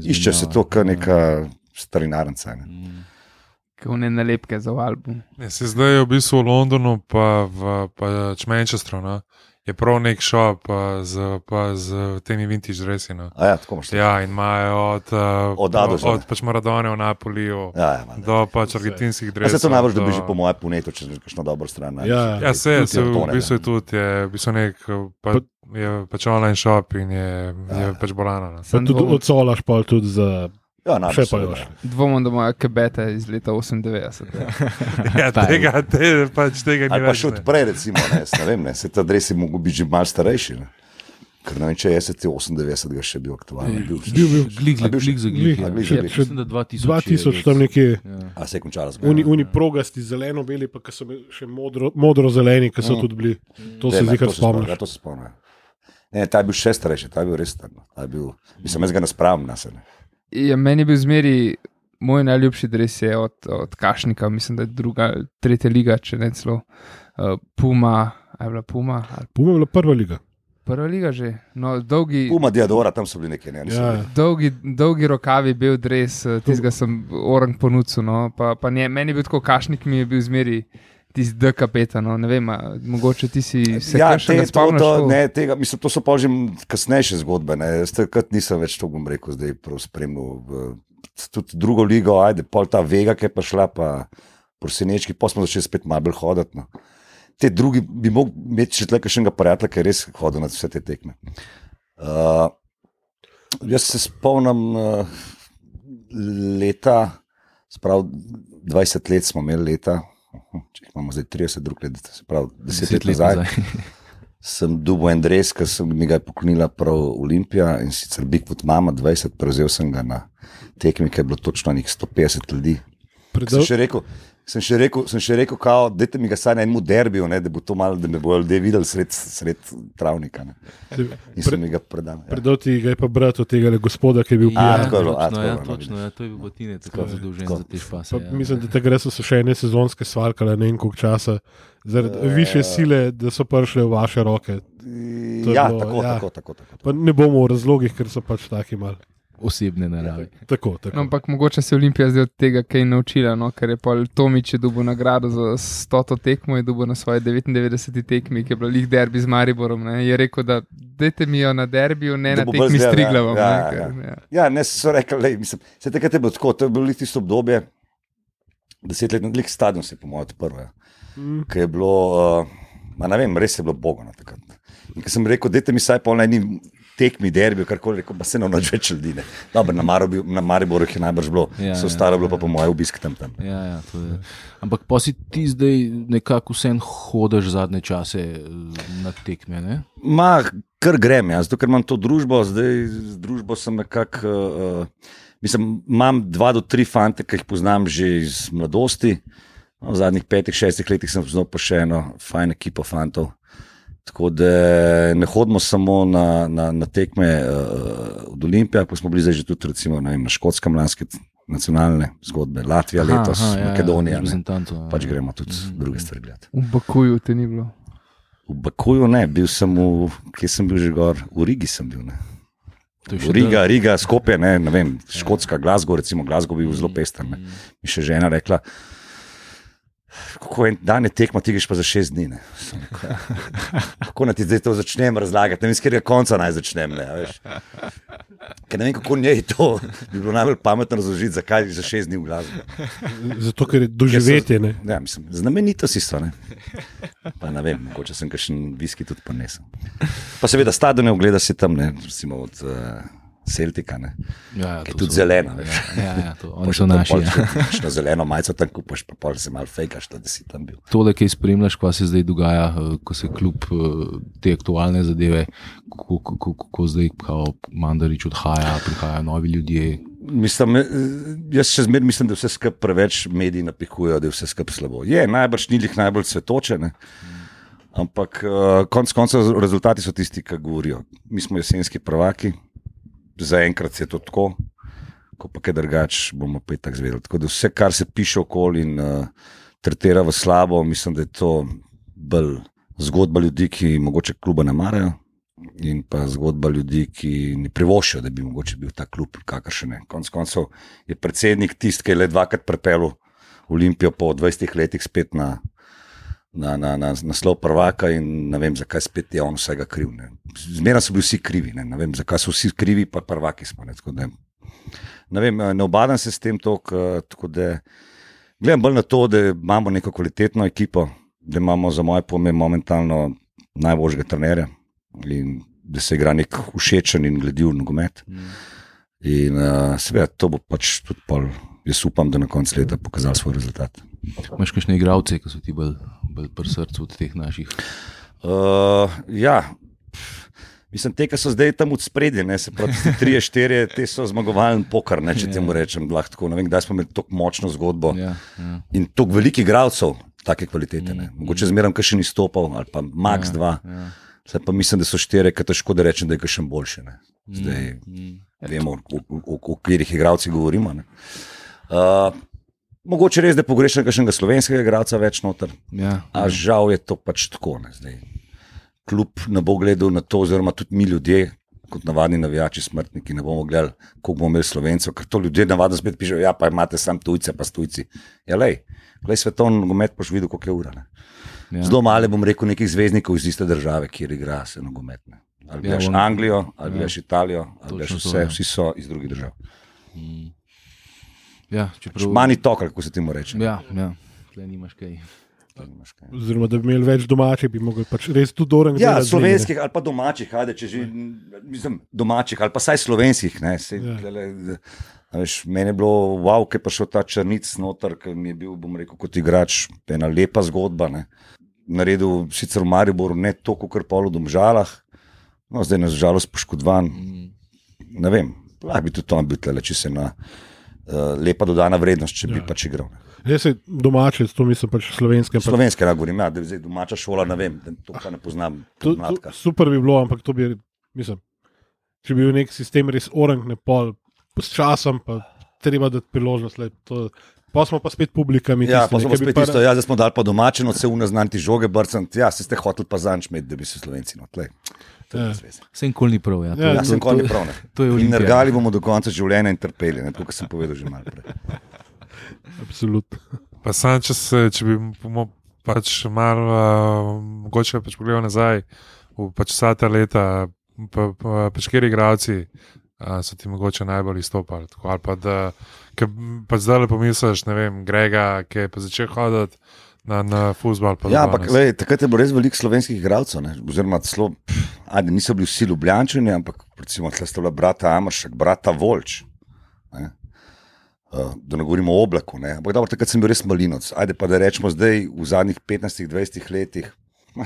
Išče se to kot neka starinarnica. One nalepke za album. Se zdaj je v bistvu v Londonu, pa v Manchesteru, no? Je prav nek shop z temi vintage dresi. No? Ja, tako imaš. Ja, in imajo od pač Maradone v Napoliju do pač argentinskih dresov. Se to najbolj dobi že po moje puneto, če je kakšna dobra stran. Ja, se v bistvu je tudi, je v bistvu nek je pač online shop in je pač bolano. Pa tudi odsolaš pa tudi za... Ja, še pa još. Dvomom, da imajo kebete iz leta 98. Ja, tega ni več. Ali pa še odprej, recimo, ne vem, se ta dres je mogel biti že malo starejši. Ne? Ker ne vem, če je 98 ga še bil aktualen. Bil. Glik. Mislim, da 2000 tam nekje. A se je končala zgodba. Oni progasti zeleno-beli, pa ki so še modro-zeleni, ki so tudi bili. To se zdi, kar spomniš. Ja, to se spomnim. Ne, ta je bil še starejši, ta je bil res starno. Mislim, jaz ga naspravim na sebe. Ja, meni je bil zmeri moj najljubši dres je od Kašnika, mislim, da je tretja liga, če ne celo Puma. Je bila Puma? Puma je bila prva liga. Prva liga že. No, dolgi, Puma, Diadora, tam so bili nekaj. Dolgi rokavi bil dres, tistega sem orang ponudil. No, meni je bil tako, Kašnik mi je bil zmeri tisti D kapeta, no, ne vem, mogoče ti si se še ne spomniš. Ne, tega, mislim, to so pa že kasnejše zgodbe, ne, takrat nisem več to, bom rekel, zdaj prav spremljal, tudi drugo ligo, ajde, pol ta Vega, ki je pa šla, pa Prosenečki, pa smo začeli spet malo bolj hoditi, no. Te drugi bi mogli imeti še tle kakšnega prijatelja, ki je res hodil na vse te tekme. Jaz se spomnim leta, sprav 20 let smo imeli leta, če imamo zdaj 30 drug let, se pravi 10 let nazaj, sem dobil en dres, ki mi ga je poklonila prav Olimpija in sicer Bigfoot Mama 20, prevzel sem ga na tekmi, ki je bilo točno nekih 150 ljudi. Sem še rekel, kao, dajte mi ga saj na enemu derbiju, ne, da bo to malo, da me bojo ljudje videli sred travnika. Ne. In sem mi ga predal. Ja. Predal ti ga je pa brat od tega gospoda, ki je bil pijan. Točno, to je bil Botine, tako zadolžen za te špase. Mislim, da tega so še ene sezonske svalkale ne en koliko časa, zaradi više sile, da so prišle v vaše roke. Ja, tako. Pa ne bomo v razlogih, ker so pač taki mali. Osebne narave. Tako. No, ampak mogoče se Olimpija zdaj od tega kaj naučila, no? Ker je Pol Tomič je dobil nagrado za 100 tekmo, je dobil na svoji 99. tekmi, ki je bila lih derbi z Mariborom. Ne? Je rekel, da dajte mi jo na derbiju, ne na tekmi s Triglavom. Ja, ne so rekli, mislim, se takrat je bilo tako, to je bilo tisto obdobje, 10 let, lik stadion se je po mojem odprl, ki je bilo, ne vem, res je bilo bogano takrat. In ko sem rekel, dajte mi saj pol na eni tekmi, derbi, karkoli, rekel, pa se nam več ljudi. Dobro, na Mariboru je najbrž bilo, so ostalo bilo pa po moje obisk tam. Ja, to je. Ampak pa si ti zdaj nekako vsem hodiš zadnje čase na tekme, ne? Kar grem, zato ker imam to družbo, zdaj z družbo sem nekako, mislim, imam 2 do 3 fante, ki jih poznam že iz mladosti, v zadnjih 5-6 letih sem poznal pa še eno fajn ekipo fantov. Tako da ne hodimo samo na tekme od Olimpija, pa smo bili zdaj že tudi recimo, ne vem, na Škotskem lanske nacionalne zgodbe, Latvija letos, Makedonija, pač gremo tudi druge stvari gledati. V Bakuju te ni bilo? V Bakuju ne, bil sem kje sem bil že gor, v Rigi sem bil, ne. Riga, Skopje, ne vem, Škotska, Glasgow, recimo Glasgow bi bil zelo pester, ne. Mi še žena rekla, Kako en dan je tekma, ti greš pa za 6 dni. Kako naj ti zdaj to začnem razlagati? Ne vem, s katerega konca naj začnem. Ker ne vem, kako njej to bi bilo najbolj pametno razložiti, zakaj za 6 dni v glasbi. Zato, ker je doživetje. Ja, mislim, znamenitosti so. Ne? Pa ne vem, mogoče sem kakšen viski tudi ponesel. Pa seveda stadione ogleda si tam, ne, recimo od Celtica, ja, ki je tudi zelena. Ja, oni so naši. Na zeleno majico tam kupaš, pa pol se malo fejkaš, da si tam bil. Tole, kaj spremljaš, kaj se zdaj dogaja, ko se kljub te aktualne zadeve, ko zdaj Mandarić odhaja, prihajajo novi ljudje. Mislim, jaz še zmeraj mislim, da vse skupaj preveč mediji napihujejo, da je vse skupaj slabo. Je, najbrž ni jih najbolj cvetoče, ampak konec koncev rezultati so tisti, ki govorijo. Mi smo jesenski prvaki. Zaenkrat je to tako, ko pa kaj drugač bomo pa tako zvedeli. Tako da vse, kar se piše okoli in tretira v slabo, mislim, da je to bolj zgodba ljudi, ki mogoče kluba ne marajo in pa zgodba ljudi, ki ne privoščijo, da bi mogoče bil ta klub kakršen ne. Konec koncev je predsednik tisti, ki je le 2krat prepelil Olimpijo po 20 letih spet na naslov prvaka in ne vem, zakaj spet je on vsega kriv. Zmeraj so bili vsi krivi, ne vem, zakaj so vsi krivi, pa prvaki smo. Ne vem, ne obadam se s tem tako da gledam bolj na to, da imamo neko kvalitetno ekipo, da imamo za moje pojme momentalno najboljšega trenerja in da se igra nek všečen in glediv nogomet. In seveda to bo pač tudi pol, jaz upam, da na koncu leta pokazal svoj rezultat. Imaš kakšne igralce, ki so ti bolj pri srcu od teh naših? Ja, mislim, te, ki so zdaj tam od spredje, se pravi, 3-4, te so zmagovalen poker, če temu rečem, lahko. Ne vem, kdaj smo imeli tako močno zgodbo in toliko velikih igralcev take kvalitete. Mogoče zmeraj kakšen izstopal ali pa max 2. Zdaj pa mislim, da so 4, ki težko da rečem, da je kakšen boljši. Zdaj vemo, o katerih igralcih govorimo. Mogoče res, da pogrešam kakšnega slovenskega igralca več noter, a žal je to pač tako. Zdaj, klub ne bo gledal na to, oziroma tudi mi ljudje, kot navadni navijači, smrtniki, ne bomo gledali, koliko bomo imeli Slovencev, ker to ljudje navadno spet pišejo, ja, pa imate sam tujce, pa s tujci. Ja, glej svetovni nogomet, pa še videl, koliko je ura. Zelo malo bom rekel nekih zvezdnikov iz iste države, kjer igra se nogomet. Ali gledaš Anglijo, ali gledaš Italijo, ali gledaš vse, vsi so iz drugih držav. Ja, Mani tok, kako se ti mu reče. Ja, tle nimaš kaj. Oziroma, da bi imeli več domačih, bi mogli pač res tudi orang. Ja, slovenskih ali pa domačih, če že, mislim, domačih ali pa saj slovenskih. Meni je bilo wow, ker je prišel ta Črnic noter, ker mi je bil, bom rekel, kot igrač, ena lepa zgodba. Naredil sicer v Mariboru ne toliko, kar pa v Domžalah, no zdaj na žalost poškodovan. Ne vem, lahko bi tudi to bil tle, če se na lepa dodana vrednost, če bi pač igral. Jaz se domače, to mislim pač slovenske. Slovenske, govorim, da je domača šola, ne vem, to pa ne poznam. Super bi bilo, ampak to bi, mislim, če bi bil nek sistem res orang, ne pol, s časom pa treba dati priložnost. Pa smo pa spet publikami. Ja, pa smo spet tisto, zdaj smo dali pa domačeno, se unaznanti žoge brcant, ja, se ste hoteli pa zanč med, da bi se Slovenci notlej. Vse nikoli ni prav. Vse nikoli ni prav. In nergali bomo do konca življenja in trpeli, to, kar sem povedal že malo prej. Absolutno. Pa sam, če bi pač malo mogoče pač pogledal nazaj v pač vsa ta leta, pač kjeri igralci so ti mogoče najbolj izstopali. Ali pa da, pa zdaj le pomisliš, ne vem, Grega, ki je pa začel hoditi na fuzbal. Ja, ampak takrat je bilo res veliko slovenskih igralcev, oziroma celo, niso bili vsi Ljubljančani, ampak recimo tle sta bila brata Amaršek, brata Volč, da ne govorimo o Oblaku, ampak dobro, takrat sem bil res malinoc. Ajde pa da rečemo zdaj v zadnjih 15-20 letih,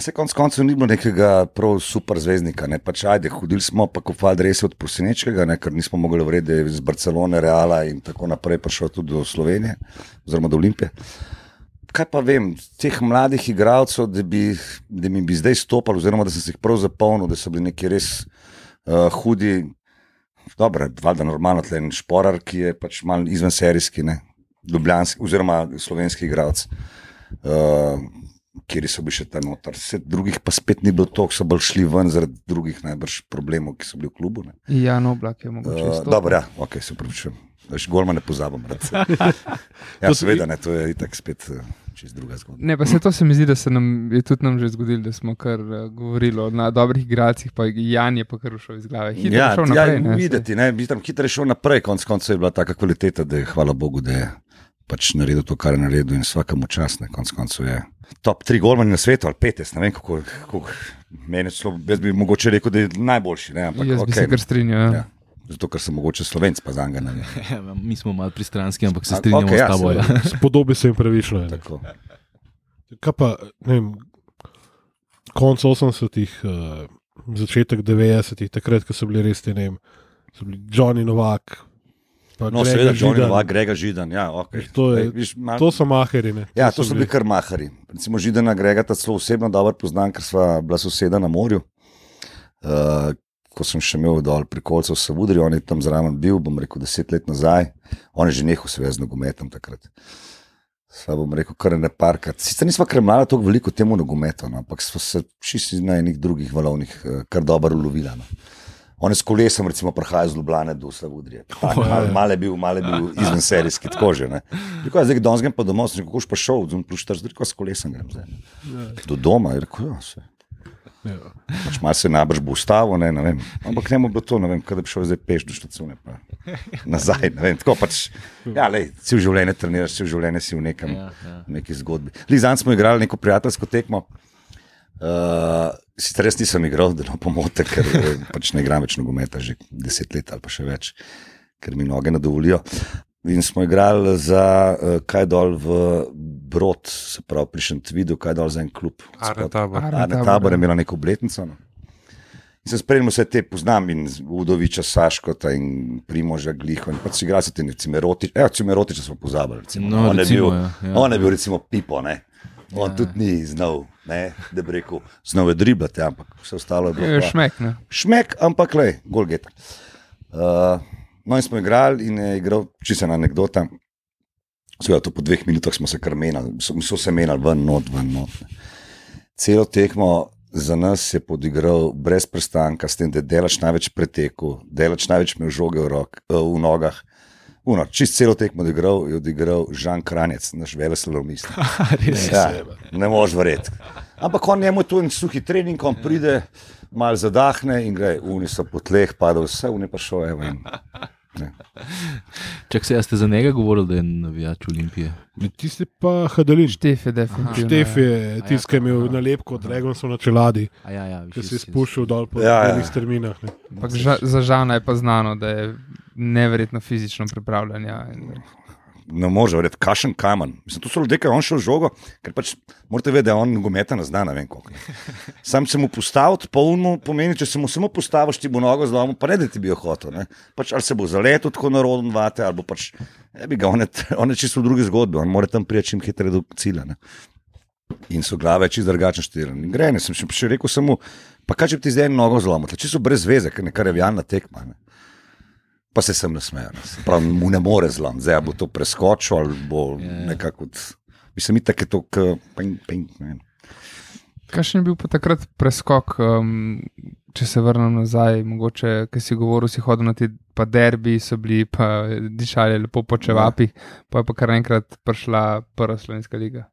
se konc koncev ni bilo nekega prav super zvezdnika, pač ajde, hodili smo pa kofali res od Prosinečkega, ker nismo mogli verjeti, da je iz Barcelone, Reala in tako naprej prišel tudi do Slovenije, oziroma do Olimpije. Kaj pa vem, teh mladih igralcev, da mi bi zdaj stopali, oziroma da sem se jih prav zapolnil, da so bili neki res hudi, dobro, valjda normalno, tle en Šporar, ki je pač malo izvenserijski, ljubljanski, oziroma slovenski igralec, kjer so bili še ta notar. Vse drugih pa spet ni bilo toliko, so bolj šli ven zaradi drugih najbrž problemov, ki so bili v klubu. Jan Oblak je mogoče. Dobro, ja, ok, se upravičujem. Golma ne pozabim. Ja, seveda ne, to je itak spet čez druga zgodba. Ne, pa se to se mi zdi, da se nam je tudi nam že zgodilo, da smo kar govorili o dobrih igralcih, pa Jan je pa kar ušel iz glave. Hitro je šel naprej. Ja, videti, hitro je šel naprej, konc koncev je bila taka kvaliteta, da je, hvala Bogu, da je pač naredil to, kar je naredil in svakemu čas, ne, konc koncev je top 3 golmani na svetu, ali 5, ne vem, kako meni celo, jaz bi mogoče rekel, da je najboljši, ne, ampak jaz bi se kar strinjal, ja. Zato, ker sem mogoče Slovenc, pa zanga ne. Mi smo malo pristranski, ampak se strinjamo s tabo. Spodobi se jim pravično. Kaj pa, ne vem, konc 80-ih, začetek 90-ih, takrat, ko so bili res te, ne vem, so bili Johnny Novak, no, seveda, Johnny Novak, Grega Židan, ja, ok. To so maheri, ne? Ja, to so bili kar maheri. Recimo Židana Grega ta celo osebno dobro poznam, ker sva bila soseda na morju. Ko sem še imel dol pri Kolcu v Savudri, on je tam zraven bil, bom rekel, 10 let nazaj. On je že nehal seveda z nogometom takrat. Sva bom rekel, kar ne parkrat. Sicer nisva kremljala toliko veliko temu nogometu, no, ampak sva se čisti na enih drugih valovnih kar dobro ulovila. No. On je s kolesom recimo prihajal z Ljubljane do Savudrije. Mal je bil izven serijski, tako že. Ne. Rekel, zdaj danes grem pa domov, sem rekel, pa šel, rekel, s kolesom grem zdaj. Do doma, je rekel, ja, vse. Pač malo se nabrž bo ustavil, ne vem. Ampak ne bo bilo to, ne vem, kada bi šel zdaj peš do štacione, pa nazaj, ne vem. Tako pač, ja, lej, cel življenje treniraš, cel življenje si v neki zgodbi. Zanj smo igrali neko prijateljsko tekmo. Sicer res nisem igral, da ne pomote, ker pač ne igram več nogometa že 10 let ali pa še več, ker mi noge ne dovolijo. In smo igrali za kaj dol v Brod, se pravi pri Šentvidu, kaj dol za en klub. Arne Tabor je imela neko obletnico. No. In sem spremljal vse te, poznam in Udoviča, Saškota in Primoža Gliho in pa si igrali se te Cimerotiča smo pozabili. No, on je bil recimo Pipo, ne. On tudi ni znal, ne, da bi rekel, znal je driblati, ampak vse ostalo je bilo. Šmek, ne. Šmek, ampak lej, gol geta. No in smo igrali in je igral, čisto ena anekdota, seveda to po 2 minutah smo se kar menjali, so se menjali ven, not. Celo tekmo za nas je podigral brez prestanka, s tem, da je delač največ preteku, delač največ imel žoge v nogah. Čist celo tekmo je odigral Žan Kranjec, naš veleslalomist. Ja, ne moš verjeti. Ampak on njemu je to en suhi trening, on pride, malo zadahne in gre, oni so po tleh padali, vse oni pa šel, evo in... Čak se, ste za njega govorili, da je navijač Olimpije? Ti si pa Hadalin. Štef je definitivno. Štef je tisti, ki je imel nalepko od Dragonsov na čeladi, ki si spuščal dol po enih terminah. Za Žana je pa znano, da je neverjetno fizično pripravljanja. Ne može verjeti, kašen kamen. Mislim, to so ljudje, ki je on šel žogo, ker pač morate vedeti, da on nogometa ne zna, ne vem koliko. Sam se mu postaviti, pa on pomeni, če se mu samo postaviš, ti bo nogo zlomil, pa ne da ti bi jo hotel. Ne? Pač ali se bo zaletel tako narodno vate, ali bo pač, on je čisto v drugi zgodbi, on mora tam priti čim hitreje do cilja. Ne? In so glave čisto drugačno štirane. In gre, ne, sem še rekel samo, pa kaj če bi ti zdaj nogo zlomil, čisto brez veze, ker nekaj revijalna tekma. Ne? Pa se sem nasmejal. Prav, mu ne more zlom. Zdaj bo to preskočil ali bo nekako... Mislim, itak je to ping. Kakšen je bil pa takrat preskok, če se vrnem nazaj, mogoče, ker si govoril, si hodil na te pa derbi, so bili pa dišali lepo po čevapih, pa je pa kar enkrat prišla prva slovenska liga.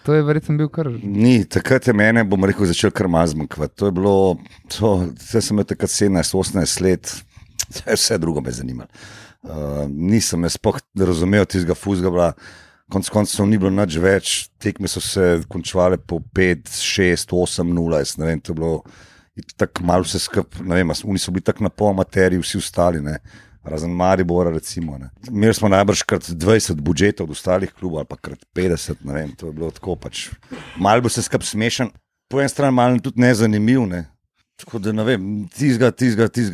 To je verjetno bil kar... Ni, takrat je mene, bom rekel, začel kar malo zmanjkvati. To je bilo, zdaj sem imel takrat 17-18 let, vse drugo me zanimalo. Nisem jaz sploh razumel tistega fuzgabla, konc koncev ni bilo nič več, tekme so se končale po 5, 6, 8, 0, ne vem, to je bilo tako malo vse skup, ne vem, oni so bili tako na pol amaterji, vsi ostali, ne, razen Maribora recimo, ne. Imeli smo najbrž krat 20 budžetov od ostalih klubov, ali pa krat 50, ne vem, to je bilo tako pač, malo bo se skup smešen, po en stran malo tudi nezanimiv, ne. Tako da ne vem, tizga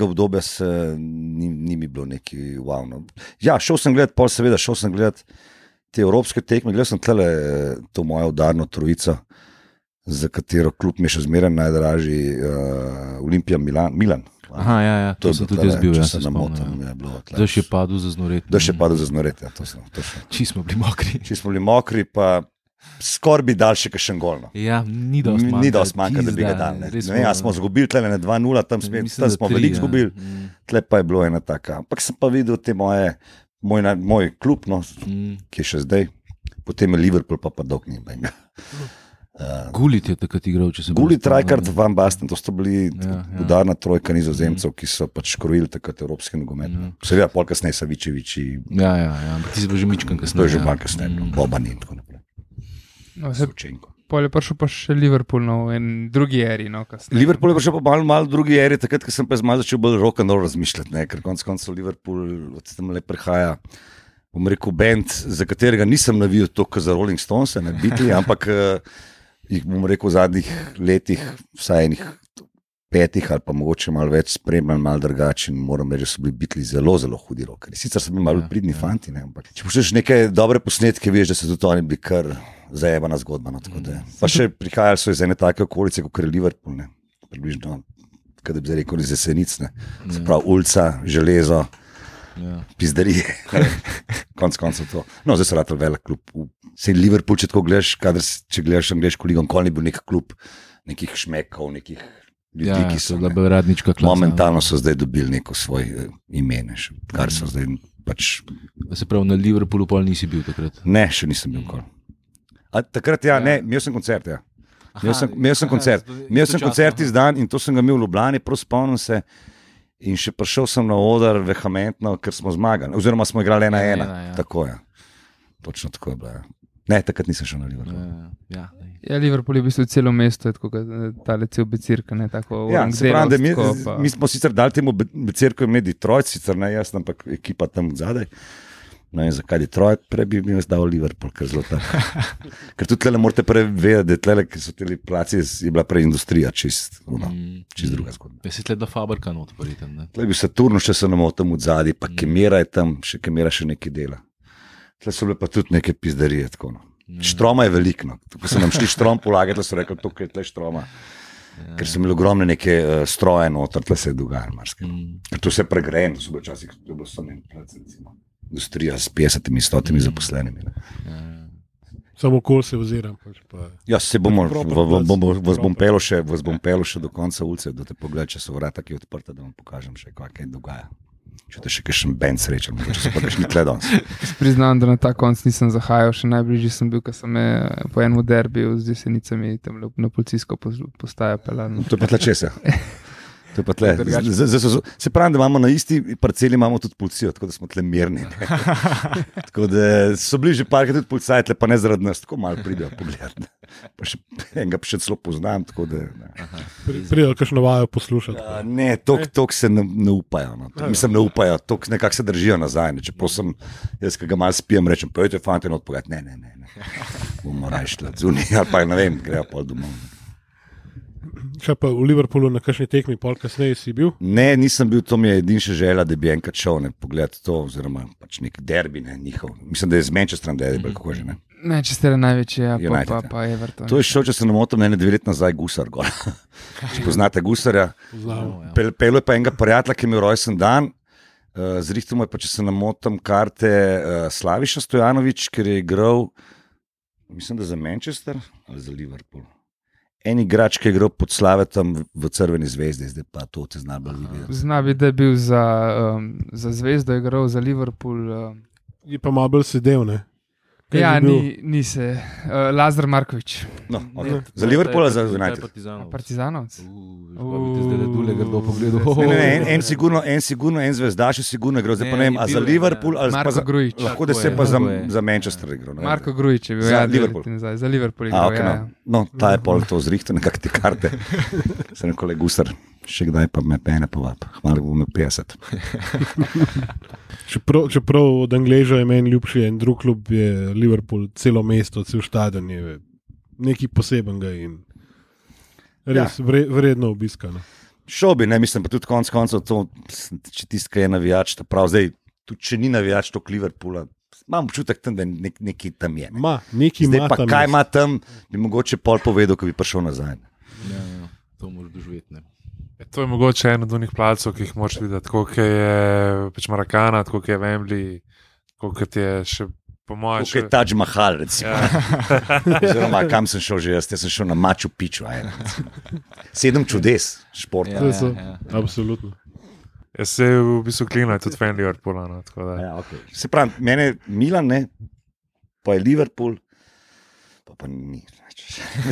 obdobja se ni mi bilo neki wow. No. Ja, šel sem gledat te evropske tekme, gledal sem tlele to mojo udarno trojico, za katero klub mi je še zmeraj najdražji, Olimpija Milan. Aha, ja, to sem tudi jaz bil, se namotam. Daš je padel za znoret. Ja, to sem. Či smo bili mokri, pa skoraj bi dal še kakšen gol. No. Ja, ni dosti manjka, da bi ga dal. Smo zgubili tle na 2-0, tam smo veliko zgubili, tle pa je bilo ena taka. Ampak sem pa videl te moje moj klub, no, ki je še zdaj, potem je Liverpool, pa dolg ni. Gullit je takrat igral, če se bo. Gullit, Rijkaard, Van Basten, to sta bili udarna trojka Nizozemcev, ki so pač krojili takrat evropski nogomet. Seveda, pol kasneje Savičeviči. Ja, ampak ti si bil že mičkan kasneje. To je že malo kasneje, Boban in tako naprej. Pol je prišel pa še Liverpool v drugi eri. Liverpool je prišel pa malo drugi eri, takrat, ko sem pa začel bolj rock and roll razmišljati, ker konec koncev Liverpool od tam le prihaja, bom rekel, band, za katerega nisem navijal toliko za Rolling Stones, ne Beatles, ampak jih bom rekel v zadnjih letih, vsaj enih 5 ali pa mogoče malo več spremljal, malo drugače in moram reči, da so bili Beatles zelo, zelo hudi rockeri. Sicer so bili malo pridni fanti, ne, ampak če pošleš neke dobre posnetke, veš, da so tudi oni bili kar zajebana zgodba. No, pa še prihajali so iz ene take okolice, kot je Liverpool, ne, približno, kada bi zdaj rekel, iz Jesenic, ne, se pravi ulica, železo, pizdarije, konc koncev to. No, zdaj so ratali velik klub. Sej Liverpool, če tako gledaš, če gledaš angleško ligo, nikoli ni bil nek klub nekih šmekov, nekih ljudi, ki so radnička klasa. Momentalno so zdaj dobili neko svoje ime, kar so zdaj pač. Se pravi, na Liverpoolu pol nisi bil takrat? Ne, še nisem bil nikoli. A takrat ne, imel sem koncert, ja. Imel sem koncert izdan in to sem ga imel v Ljubljani, prav spomnim se. In še prišel sem na oder vehementno, ker smo zmagali. Oziroma smo igrali 1-1. Tako je. Točno tako je bilo. Ne, takrat nisem šel na Liverpool. Ja, Liverpool je v bistvu celo mesto, tako tale cel becirka, ne tako. Ja, se pravi, da mi smo sicer dali temu becirku ime Detroit, sicer ne jaz, ampak ekipa tam zadaj. No in zakaj Detroit, prej bi mi zdal Liverpool, ker zelo tako. Ker tudi tle morate prej vedeti, da tle, ki so teli placi, je bila prej industrija, čist druga zgodba. Ja, si tle da fabrika not, verjetno, ne? Tle bi Saturnu še se namo tam odzadi, pa Kemera je tam, Kemera še nekaj dela. Tle so bile pa tudi neke pizdarije, tako no. Štroma je veliko, ko so nam šli štrom polagati, so rekli, tukaj je tle štroma. Ker so imeli ogromne neke stroje noter, tle se je dogajalo marsikaj. Ker to se je pregrejeno, so bile včasih, to je bilo samo en plac, recimo. Industrija s 50-100 zaposlenimi. Samo kol se oziram. Ja, se vas bom pelil še do konca ulice, da te pogledaj, če so vrata, ki je odprta, da vam pokažem še, kaj dogaja. Če te še kakšen band srečam, če so pa kakšni tle danes. Priznam, da na ta konc nisem zahajal, še najbližji sem bil, ko sem po enem derbiju z Jesenicami tam na policijsko postajo pelal. To je pa tle česa. To je pa tle. Se pravi, da imamo na isti parceli imamo tudi policijo, tako da smo tle mirni. Tako da so bili že parkrat tudi policaji, tle pa ne zaradi nas, tako malo pridejo pogledati. Pa še enega pa še celo poznam, tako da. Pridejo kakšno vajo poslušati. Ne, tok se ne upajo. No. Mislim, ne upajo, tok nekako se držijo nazaj. Ne. Čeprav sem, jaz, ki ga malo spijem, rečem, pojďte fante not pogledati. Ne. Bomo raje šli zunaj, ali pa ne vem, grejo pol domov. Še pa v Liverpoolu na kakšni tekmi, pol kasneje si bil? Ne, nisem bil, to mi je edin še želja, da bi enkrat šel pogledati to, oziroma pač nek derbi, njihov. Mislim, da je z Manchesterom derbi, kako že ne. Manchester je največji, pa Everton. To je šel, če se ne motim, 2 leti nazaj Gusar gor. Če poznate Gusarja. Pelil je pa enega prijatelja, ki je imel rojsten dan, zrihtel mu je pa, če se ne motim, karte Slaviša Stojanović, ker je igral, mislim, da za Manchester ali za Liverpool. En igrač, ki je igral pod Slavetom v Crveni zvezdi, zdaj pa to te zna bolj videti. Zna bi, da je bil za Zvezdo, je igral za Liverpool. Je pa malo bolj sedel, ne? Ja, ni se. Lazar Markovič. No, okay. Za Liverpool ali za United? Partizanovc. Zdaj le dule grdo pogledal. En sigurno, en zvezdaš je sigurno igral. Zdaj pa ne vem, a za Liverpool ali Marko Grujić. Lahko da se pa za Manchester igral. Marko Grujić je bil, za Liverpool. Za Liverpool igral, okay, no, ta je pol to zrihtel, nekak te karte. Sem nekole Gusar, še kdaj pa me pene povab. Hvala, bom imel 50. Čeprav od Angleža je meni ljubši en drug klub, je Liverpool, celo mesto, cel stadion je nekaj posebenega in res vredno obiska. No. Šel bi, ne, mislim, pa tudi konc koncev to, če tiska je navijač, prav zdaj, tudi če ni navijač to Liverpoola, imam občutek tam, da nekaj tam je. Ne. Zdaj pa kaj ima tam, bi mogoče pol povedal, ko bi prišel nazaj. Ja, to moraš doživeti, ne. To je mogoče en od unih placov, ki jih moraš videti, koliko je pač Marakana, koliko je Wembley, koliko je še po mojem... Koliko je Taj Mahal, recimo. Ja. Oziroma, kam sem šel že jaz? Jaz sem šel na Machu Picchu. 7 čudes športa. Ja. Absolutno. Se je v bistvu klina, tudi fan Liverpoola. No, ja, okay. Se pravi, mene Milan, ne, pa je Liverpool, pa ni.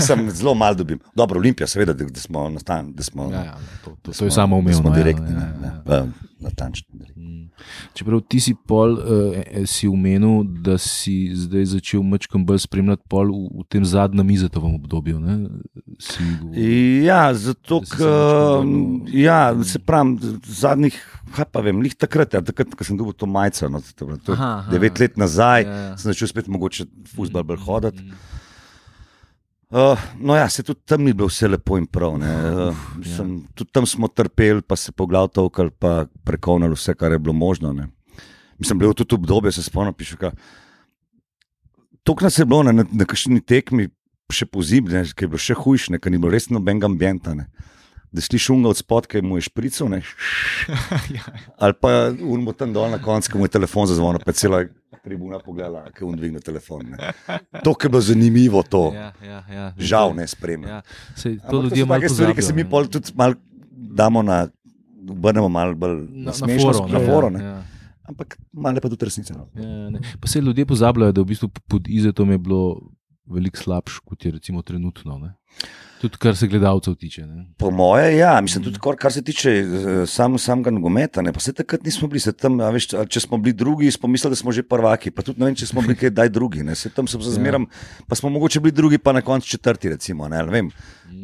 Sem zelo malo dobim. Dobro, Olimpija, seveda, da smo natančni. To je samo umevno. Smo direktni, natančni. Čeprav ti si si omenil, da si zdaj začel mečkam bolj spremljati pol v tem zadnjem Izetovem obdobju. Ja, zato, ker se pravim, zadnjih, lih takrat, ko sem dobil to majico, 9 let nazaj, sem začel spet mogoče fuzbal bolj hoditi. No ja, se tudi tam ni bilo vse lepo in prav. Tudi tam smo trpeli, pa se po glav tolkali, pa prekonali vse, kar je bilo možno. Ne. Mislim, bilo tudi obdobje, se spomnim, toliko nas je bilo na kakšni tekmi, še pozimi, ki je bilo še hujše, ker ni bilo res nobenega ambienta. Ne. Da slišiš unga od spod, ki mu je špricov, ali pa unmo tam dol na koncu, ki mu je telefon zazvonil, pa cela tribuna pogledala, ki on dvigne telefon. Ne. To, ki je bilo zanimivo, to. Žal ne spremlja. To ljudje malo pozabijo. Stvari, ki se mi pol tudi malo damo obrnemo malo bolj na smešnost, na foro. Ampak malo pa tudi resnica. Pa se ljudje pozabljajo, da v bistvu pod Izetom je bilo veliko slabš, kot je recimo trenutno. Ne? Tudi kar se gledalcev tiče. Ne? Po moje, ja. Mislim, tudi kar se tiče samega nogometa. Pa se takrat nismo bili. Tam, veš, če smo bili drugi, smo mislili, da smo že prvaki. Pa tudi ne vem, če smo bili kaj daj drugi. Se tam sem zmeram, pa smo mogoče bili drugi, pa na koncu četrti, recimo. Ne vem.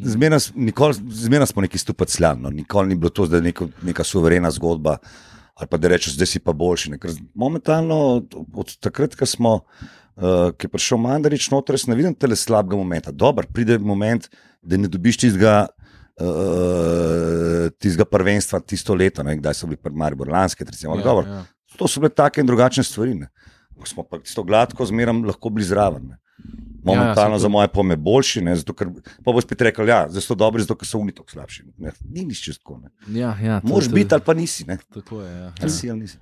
Zmerno smo neki stupati sljan. Nikoli ni bilo to, da je neka suverena zgodba. Ali pa da rečeš, zdaj si pa boljši. Ker momentalno, od takrat, ko je prišel Mandarič noter, jaz ne vidim tele slabega momenta. Dobar, pride moment, da ne dobiš tistega prvenstva tisto leto, kdaj so bili Maribor lanske, recimo. To so bile take in drugačne stvari. Smo pa tisto gladko zmeram lahko bili zraven. Momentalno za moje pome boljši, zato ker pa bo spet rekel, zdaj so dobri, zato ker so oni tako slabši. Ni nič čez tako. Moraš biti ali pa nisi. Tako je, ja. Ali si ali nisi.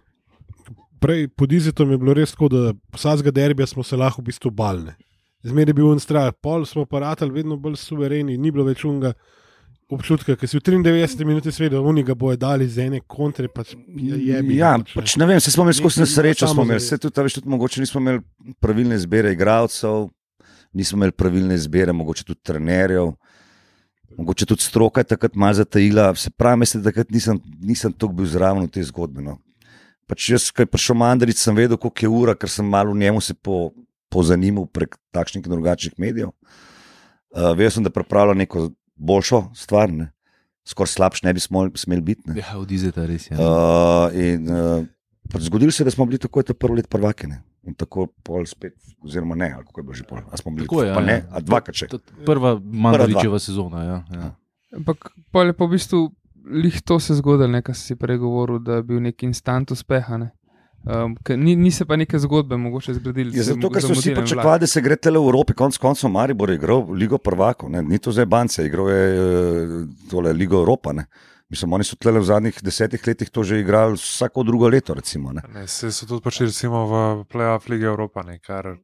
Prej pod Izetom je bilo res tako, da vsakega derbija smo se lahko v bistvu balne. Zmeraj je bil en strah, pol smo pa ratali vedno bolj suvereni, ni bilo več unga občutka, ker si v 93 minuti svedel, oni ga bojo dali z ene kontre, pač jebi. Ja, pač ne vem, se smo imeli skozi nesrečo, se tudi mogoče nismo imeli pravilne izbire igralcev, nismo imeli pravilne izbire, mogoče tudi trenerjev, mogoče tudi stroka je takrat malo zatajila, se pravi, mislim, da takrat nisem toliko bil zraven v tej zgodbi. No. Pač jaz, ko je prišel Mandarič, sem vedel, koliko je ura, ker sem malo v njemu se pozanimal prek takšnih in drugačnih medijev. Vedel sem, da pripravlja neko boljšo stvar, skoraj slabš ne bi smeli biti. Ne. Ja, od Izeta res, zgodilo se je, da smo bili tako prvo let prvaki, in tako pol spet, oziroma ne, ali kako je bilo že pol, a smo bili tako, pa ne, a dvakrat še. Prva Mandaričeva sezona, ja. Ampak pol je pa v bistvu lih to se zgodilo, nekaj si prej govoril, da je bil nek instant uspeha. Ne? Ni se pa neke zgodbe mogoče zgradili. Zato, ker so vsi pričakovali, da se gre tele v Evropi, konc koncev Maribor je igral Ligo prvakov, ni to zdaj Bance, igral je Ligo Evropa. Ne? Mislim, oni so tlele v zadnjih 10 letih to že igrali vsako drugo leto, recimo. Se so tudi prišli recimo v play-off Lige Evropa, kar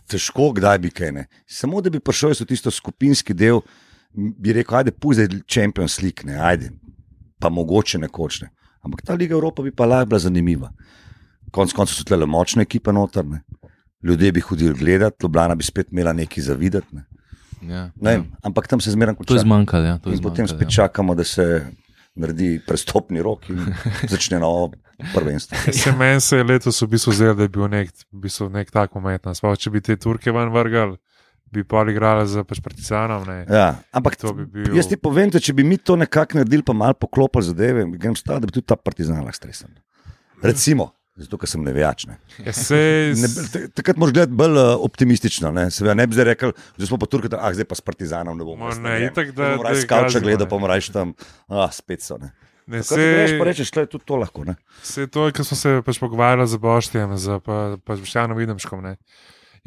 težko, kdaj bi kaj ne. Samo da bi prišel so tisto skupinski del, bi rekel, ajde, pusti Champions League, ajde, pa mogoče nekoč. Ampak ta Liga Evropa bi pa lahko bila zanimiva. Konec koncev so tle močne ekipe noter, ljudje bi hodili gledati, Ljubljana bi spet imela nekaj za videti. Ampak tam se zmeraj konča. To je zmanjkalo, in potem spet čakamo, da se naredi prestopni rok in začne novo prvenstvo. Meni se je letos v bistvu zdelo, da je bil nek tak moment. Če bi te Turke ven vrgali, bi pa igrali za Partizanom. Ja, ampak jaz ti povem, če bi mi to nekako naredili, pa malo poklopili zadeve, grem staviti, da bi tudi ta Partizan lahko stresan. Recimo, zato, ker sem nevejač. Takrat moraš gledati bolj optimistično. Seveda ne bi zdaj rekel, da smo pa Turki, zdaj pa s Partizanom ne bomo. Moram skavča gledati, pa moram reči tam, spet so. Pa rečeš, da je tudi to lahko. Vse to, kar smo se pogovarjali z Boštjem, z Boštjanom Videmškom,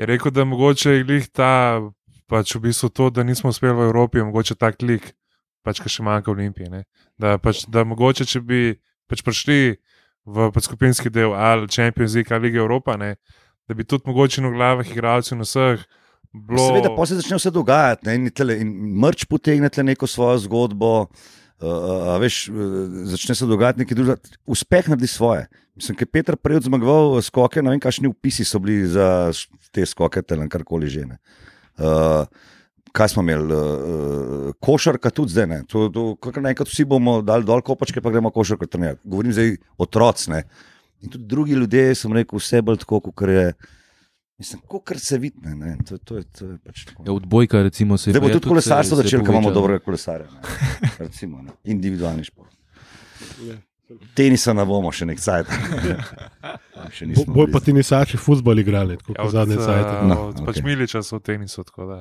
je rekel, da mogoče je glih ta, pač v bistvu to, da nismo uspeli v Evropi, mogoče tak lik, pač ka še manjka v Olimpiji. Da mogoče, če bi pač prišli v skupinski del ali Champions League ali Lige Evropa, da bi tudi mogoče v glavah igralcev na vseh bilo... Seveda, pa se začne vse dogajati in mrč potegne neko svojo zgodbo, veš, začne se dogajati nekaj drugega. Uspeh naredi svoje. Mislim, ker Peter prej zmagoval skoke, ne vem, kakšni vpisi so bili za te skoke, karkoli že. Kaj smo imeli? Košarka tudi zdaj, ne. Enkrat vsi bomo dali dol kopačke, pa gremo košarko trenirati. Govorim zdaj otroci, ne. In tudi drugi ljudje, sem rekel, vse bolj tako, kot je. Mislim, kot se vidi, ne. To je pač tako. Ja, odbojka, recimo, se je. Zdaj bo tudi kolesarstvo začelo, ko imamo dobrega kolesarja. Recimo, ne. Individualni šport. Tenisa ne bomo še nek cajt. Bolj pa tenisači fuzbol igrali, tako kot zadnje cajte. Pač Miliča so v tenisu, tako da.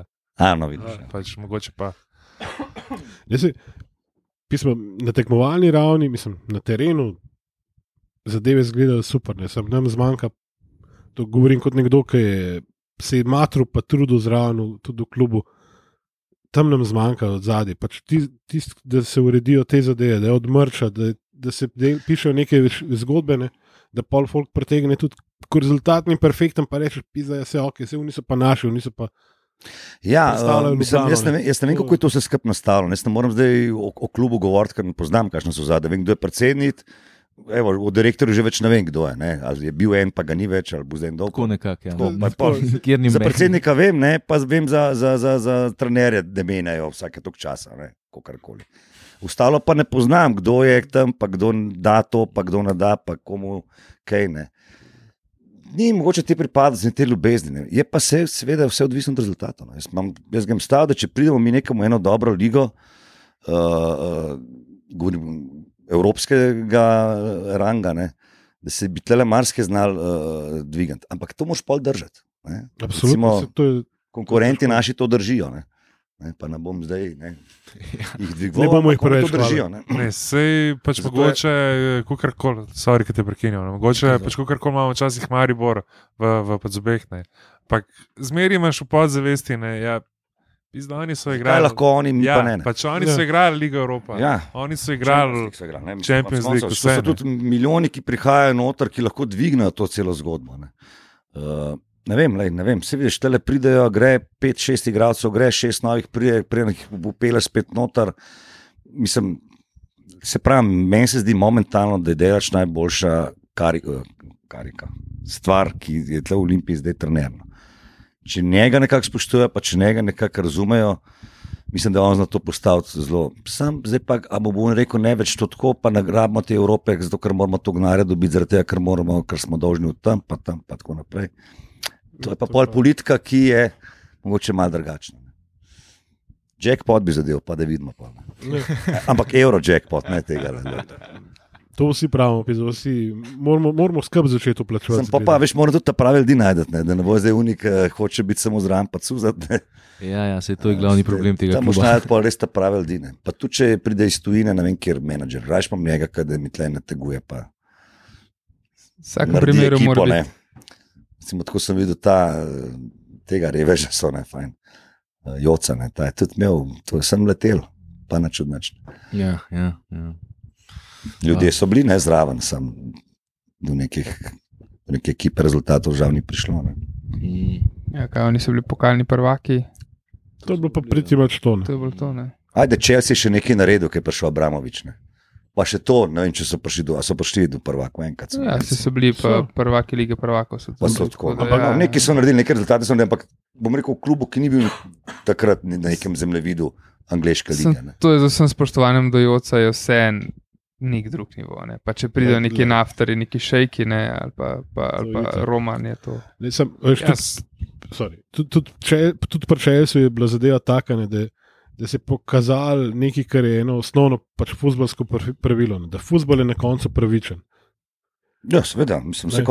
No, vidiš. Pač mogoče pa. Na tekmovalni ravni, mislim, na terenu zadeve izgledajo super, ne. Sam nam zmanjka. To govorim kot nekdo, ki se je matru pa trudil zraven, tudi v klubu. Tam nam zmanjka od zadaj. Pač da se uredijo te zadeve, da je odmrča, da se pišejo neke zgodbe, ne, da pol folk pretegne tudi, ko rezultat ni perfekten, pa rečeš, pizda, se ok, se oni so pa naši, oni so pa. Ja, mislim, jaz ne vem, kako je to vse skupaj nastavljeno. Jaz ne moram zdaj o klubu govoriti, ker ne poznam, kakšno so zadaj. Vem, kdo je predsednik. Evo, o direktorju že več ne vem, kdo je. Ne? Ali je bil en, pa ga ni več, ali bo zdaj en dolg. Tako nekako, ja. Za predsednika vem, ne? Pa vem za trenerje, da menjajo vsake tok časa, kakorkoli. Ostalo pa ne poznam, kdo je tam, pa kdo da to, pa kdo ne da, pa komu kaj ne. Ni mogoče te pripadati, te ljubezni. Ne? Je pa seveda vse odvisno od rezultatov. Jaz grem stav, da če pridemo mi nekamo eno dobro ligo, govorim, evropskega ranga, ne, da se bi tle marsikaj znal dvigati. Ampak to moraš pol držati. Absolutno. Konkurenti naši to držijo. Ne. Pa ne bom zdaj jih dvigoval. Ne bomo jih preveč držijo. Sej pač mogoče, kukarkoli, sorry, ki te prekinjam, mogoče pač kukarkoli imamo včasih Maribor v Podzobeh. Ampak zmeri imaš v podzavesti, oni so igrali. Kaj lahko oni, mi pa ne. Pač oni so igrali Ligo Evropa. Ja. Oni so igrali Champions League. To so tudi milijoni, ki prihajajo noter, ki lahko dvignejo to celo zgodbo. Ne vem. Se vidiš, tele pridejo, gre 5-6 igralcev, gre 6 novih, prije jih upele spet noter. Mislim, se pravi, meni se zdi momentalno, da je delač najboljša karika. Stvar, ki je tle v Olimpiji zdaj trenerno. Če njega nekako spoštujejo, pa če njega nekako razumejo, mislim, da on zna to postaviti zelo. Sam zdaj pa, a bo rekel, ne več to tako, pa nagrabimo te Evrope, zato ker moramo to gnare dobiti, zaradi tega, ker smo dolžni v tam, pa tako naprej. To je pa pol politika, ki je mogoče malo drugačna. Jackpot bi zadev, pa da vidimo. Ampak Euro-jackpot, ne tega. To vsi pravimo, vsi moramo skrb začeti uplačevati. Pa veš, moramo tudi ta pravi ljudi najti, da ne bo zdaj unik, hoče biti samo zraven, pa cuzati. Ja, se to je glavni problem tega kluba. Tam moš najti pa res ta pravi ljudi. Pa tudi, če pride iz tujine, ne vem, kjer menadžer, rajš pa njega, kada mi tle nateguje, pa vsakem primeru mora biti. Recimo, tako sem videl tega reveža, so fajn. Joca, ta je tudi imel, to sem letel, pa načudnač. Ja. Ljudje so bili zraven, sem do neke ekipe rezultatov žal ni prišlo. Ja, kaj oni so bili pokalni prvaki? To je bilo pa pritimač to. To je bilo to, ne. Ajde, Chelsea še nekaj naredil, ki je prišel Abramovič, ne. Pa še to, ne vem, če so prišli do prvakov enkrat. Ja, so bili pa prvaki lige prvakov. Neki so naredili nekaj rezultatov, ampak bom rekel, v klubu, ki ni bil takrat na nekem zemljevidu angleške lige. To je z vsem spoštovanjem do Joca, je vse nik drug nivo. Ne? Pa če pridejo neki naftari, neki šejki, ne? ali pa Roman je to. Tudi pri Chelsea je bila zadeva taka, ne, da se je pokazal nekaj, kar je eno osnovno pač fuzbalsko pravilo, ne, da fuzbal je na koncu pravičen. Ja, seveda, mislim, se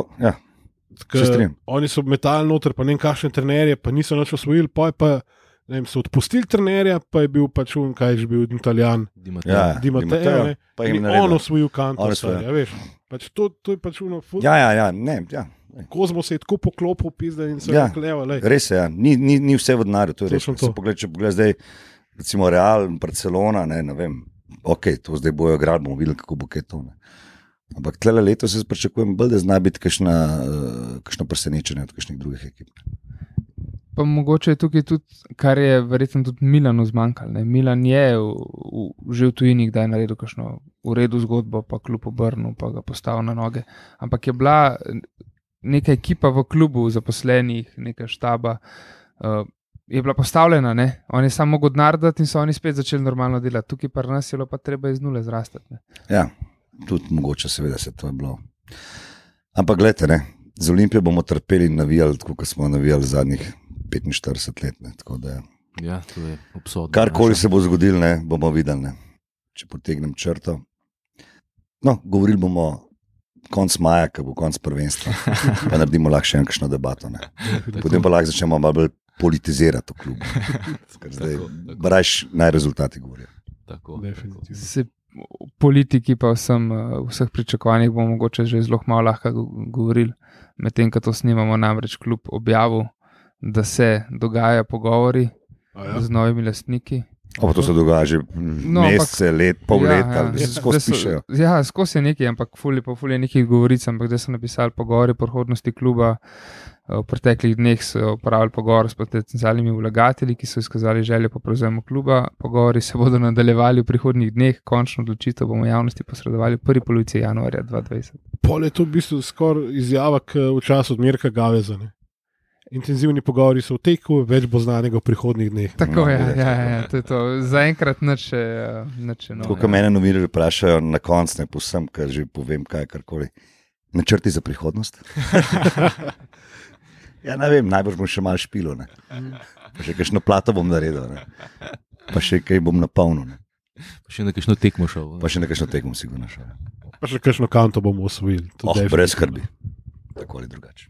strinjam. Oni so metali noter, pa ne vem kakšne trenerje, pa niso nič osvojili, pa ne vem, so odpustili trenerja, pa je bil pač kaj je že bil Italijan, Di Matteo, pa jim on osvojil kanto. Ja, veš, pač to je pač ono Ja. Kozmo se je tako poklopil, pizda in se je rekleva. Res je, ni vse v denarju, to je res. Če pogledaj zdaj, recimo Real, Barcelona, ne vem, ok, to zdaj bojo igrali, bomo videli, kako bo kaj to. Ne. Ampak tlele leto se pričakujem bolj, da zna biti kakšno presenečenje od kakšnih drugih ekip. Pa mogoče je tukaj tudi, kar je verjetno tudi Milanu zmanjkalo. Ne? Milan je že v tujini, kdaj je naredil kakšno v redu zgodbo, pa klub obrnil, pa ga postavil na noge. Ampak je bila neka ekipa v klubu zaposlenih, neka štaba, je bila postavljena, ne? On je samo mogel narediti in so oni spet začeli normalno delati. Tukaj pa nas je bilo pa treba iz nule zrastati. Ne? Ja, tudi mogoče seveda se to je bilo. Ampak gledajte, ne, z Olimpijo bomo trpeli in navijali, tako kot smo navijali zadnjih 45 let. Ne, tako da, ja, to je obsodno. Karkoli se bo zgodilo, ne, bomo videli, ne, če potegnem črto. No, govorili bomo konc maja, ko bo konc prvenstva, pa naredimo lahko še enkšno debato. Ne. Potem pa lahko začnemo malo bolj politizirati v klubu. Ker zdaj brajš naj rezultati govorijo. Tako. Politiki pa vseh pričakovanjih bomo mogoče že zelo malo lahko govorili, medtem ko to snimamo, namreč klub objavil, da se dogajajo pogovori z novimi lastniki. Pa to se dogaja že mesece, pol leta, ali se skozi pišejo. Ja, skozi je nekaj, ampak ful je nekaj govoric, ampak da so napisali pogovori o prihodnosti kluba. V preteklih dneh so upravili pogovor s potencialnimi vlagatelji, ki so izkazali željo po prevzemu kluba. Pogovori se bodo nadaljevali v prihodnjih dneh, končno odločitev bomo javnosti posredovali v prvi polovici januarja 2020. Pol je to v bistvu skoraj izjava v času od Mirka Gaveza. Ne? Intenzivni pogovori so v teku, več bo znanega v prihodnjih dneh. Tako je, to je to. Zaenkrat nič novo. Tako, ko mene novinarji vprašajo na koncu, ne povsem, kar že povem, karkoli. Načrti za prihodnost? Ja, ne vem, najbrž bom še malo špilo, ne. Pa še kakšno plato bom naredil, ne. Pa še kaj bom napolnil, ne. Pa še na kakšno tekmo šel. Pa še na kakšno tekmo sigurno šel. Pa še kakšno kanto bomo osvojili. Brez skrbi. Tako ali drugače.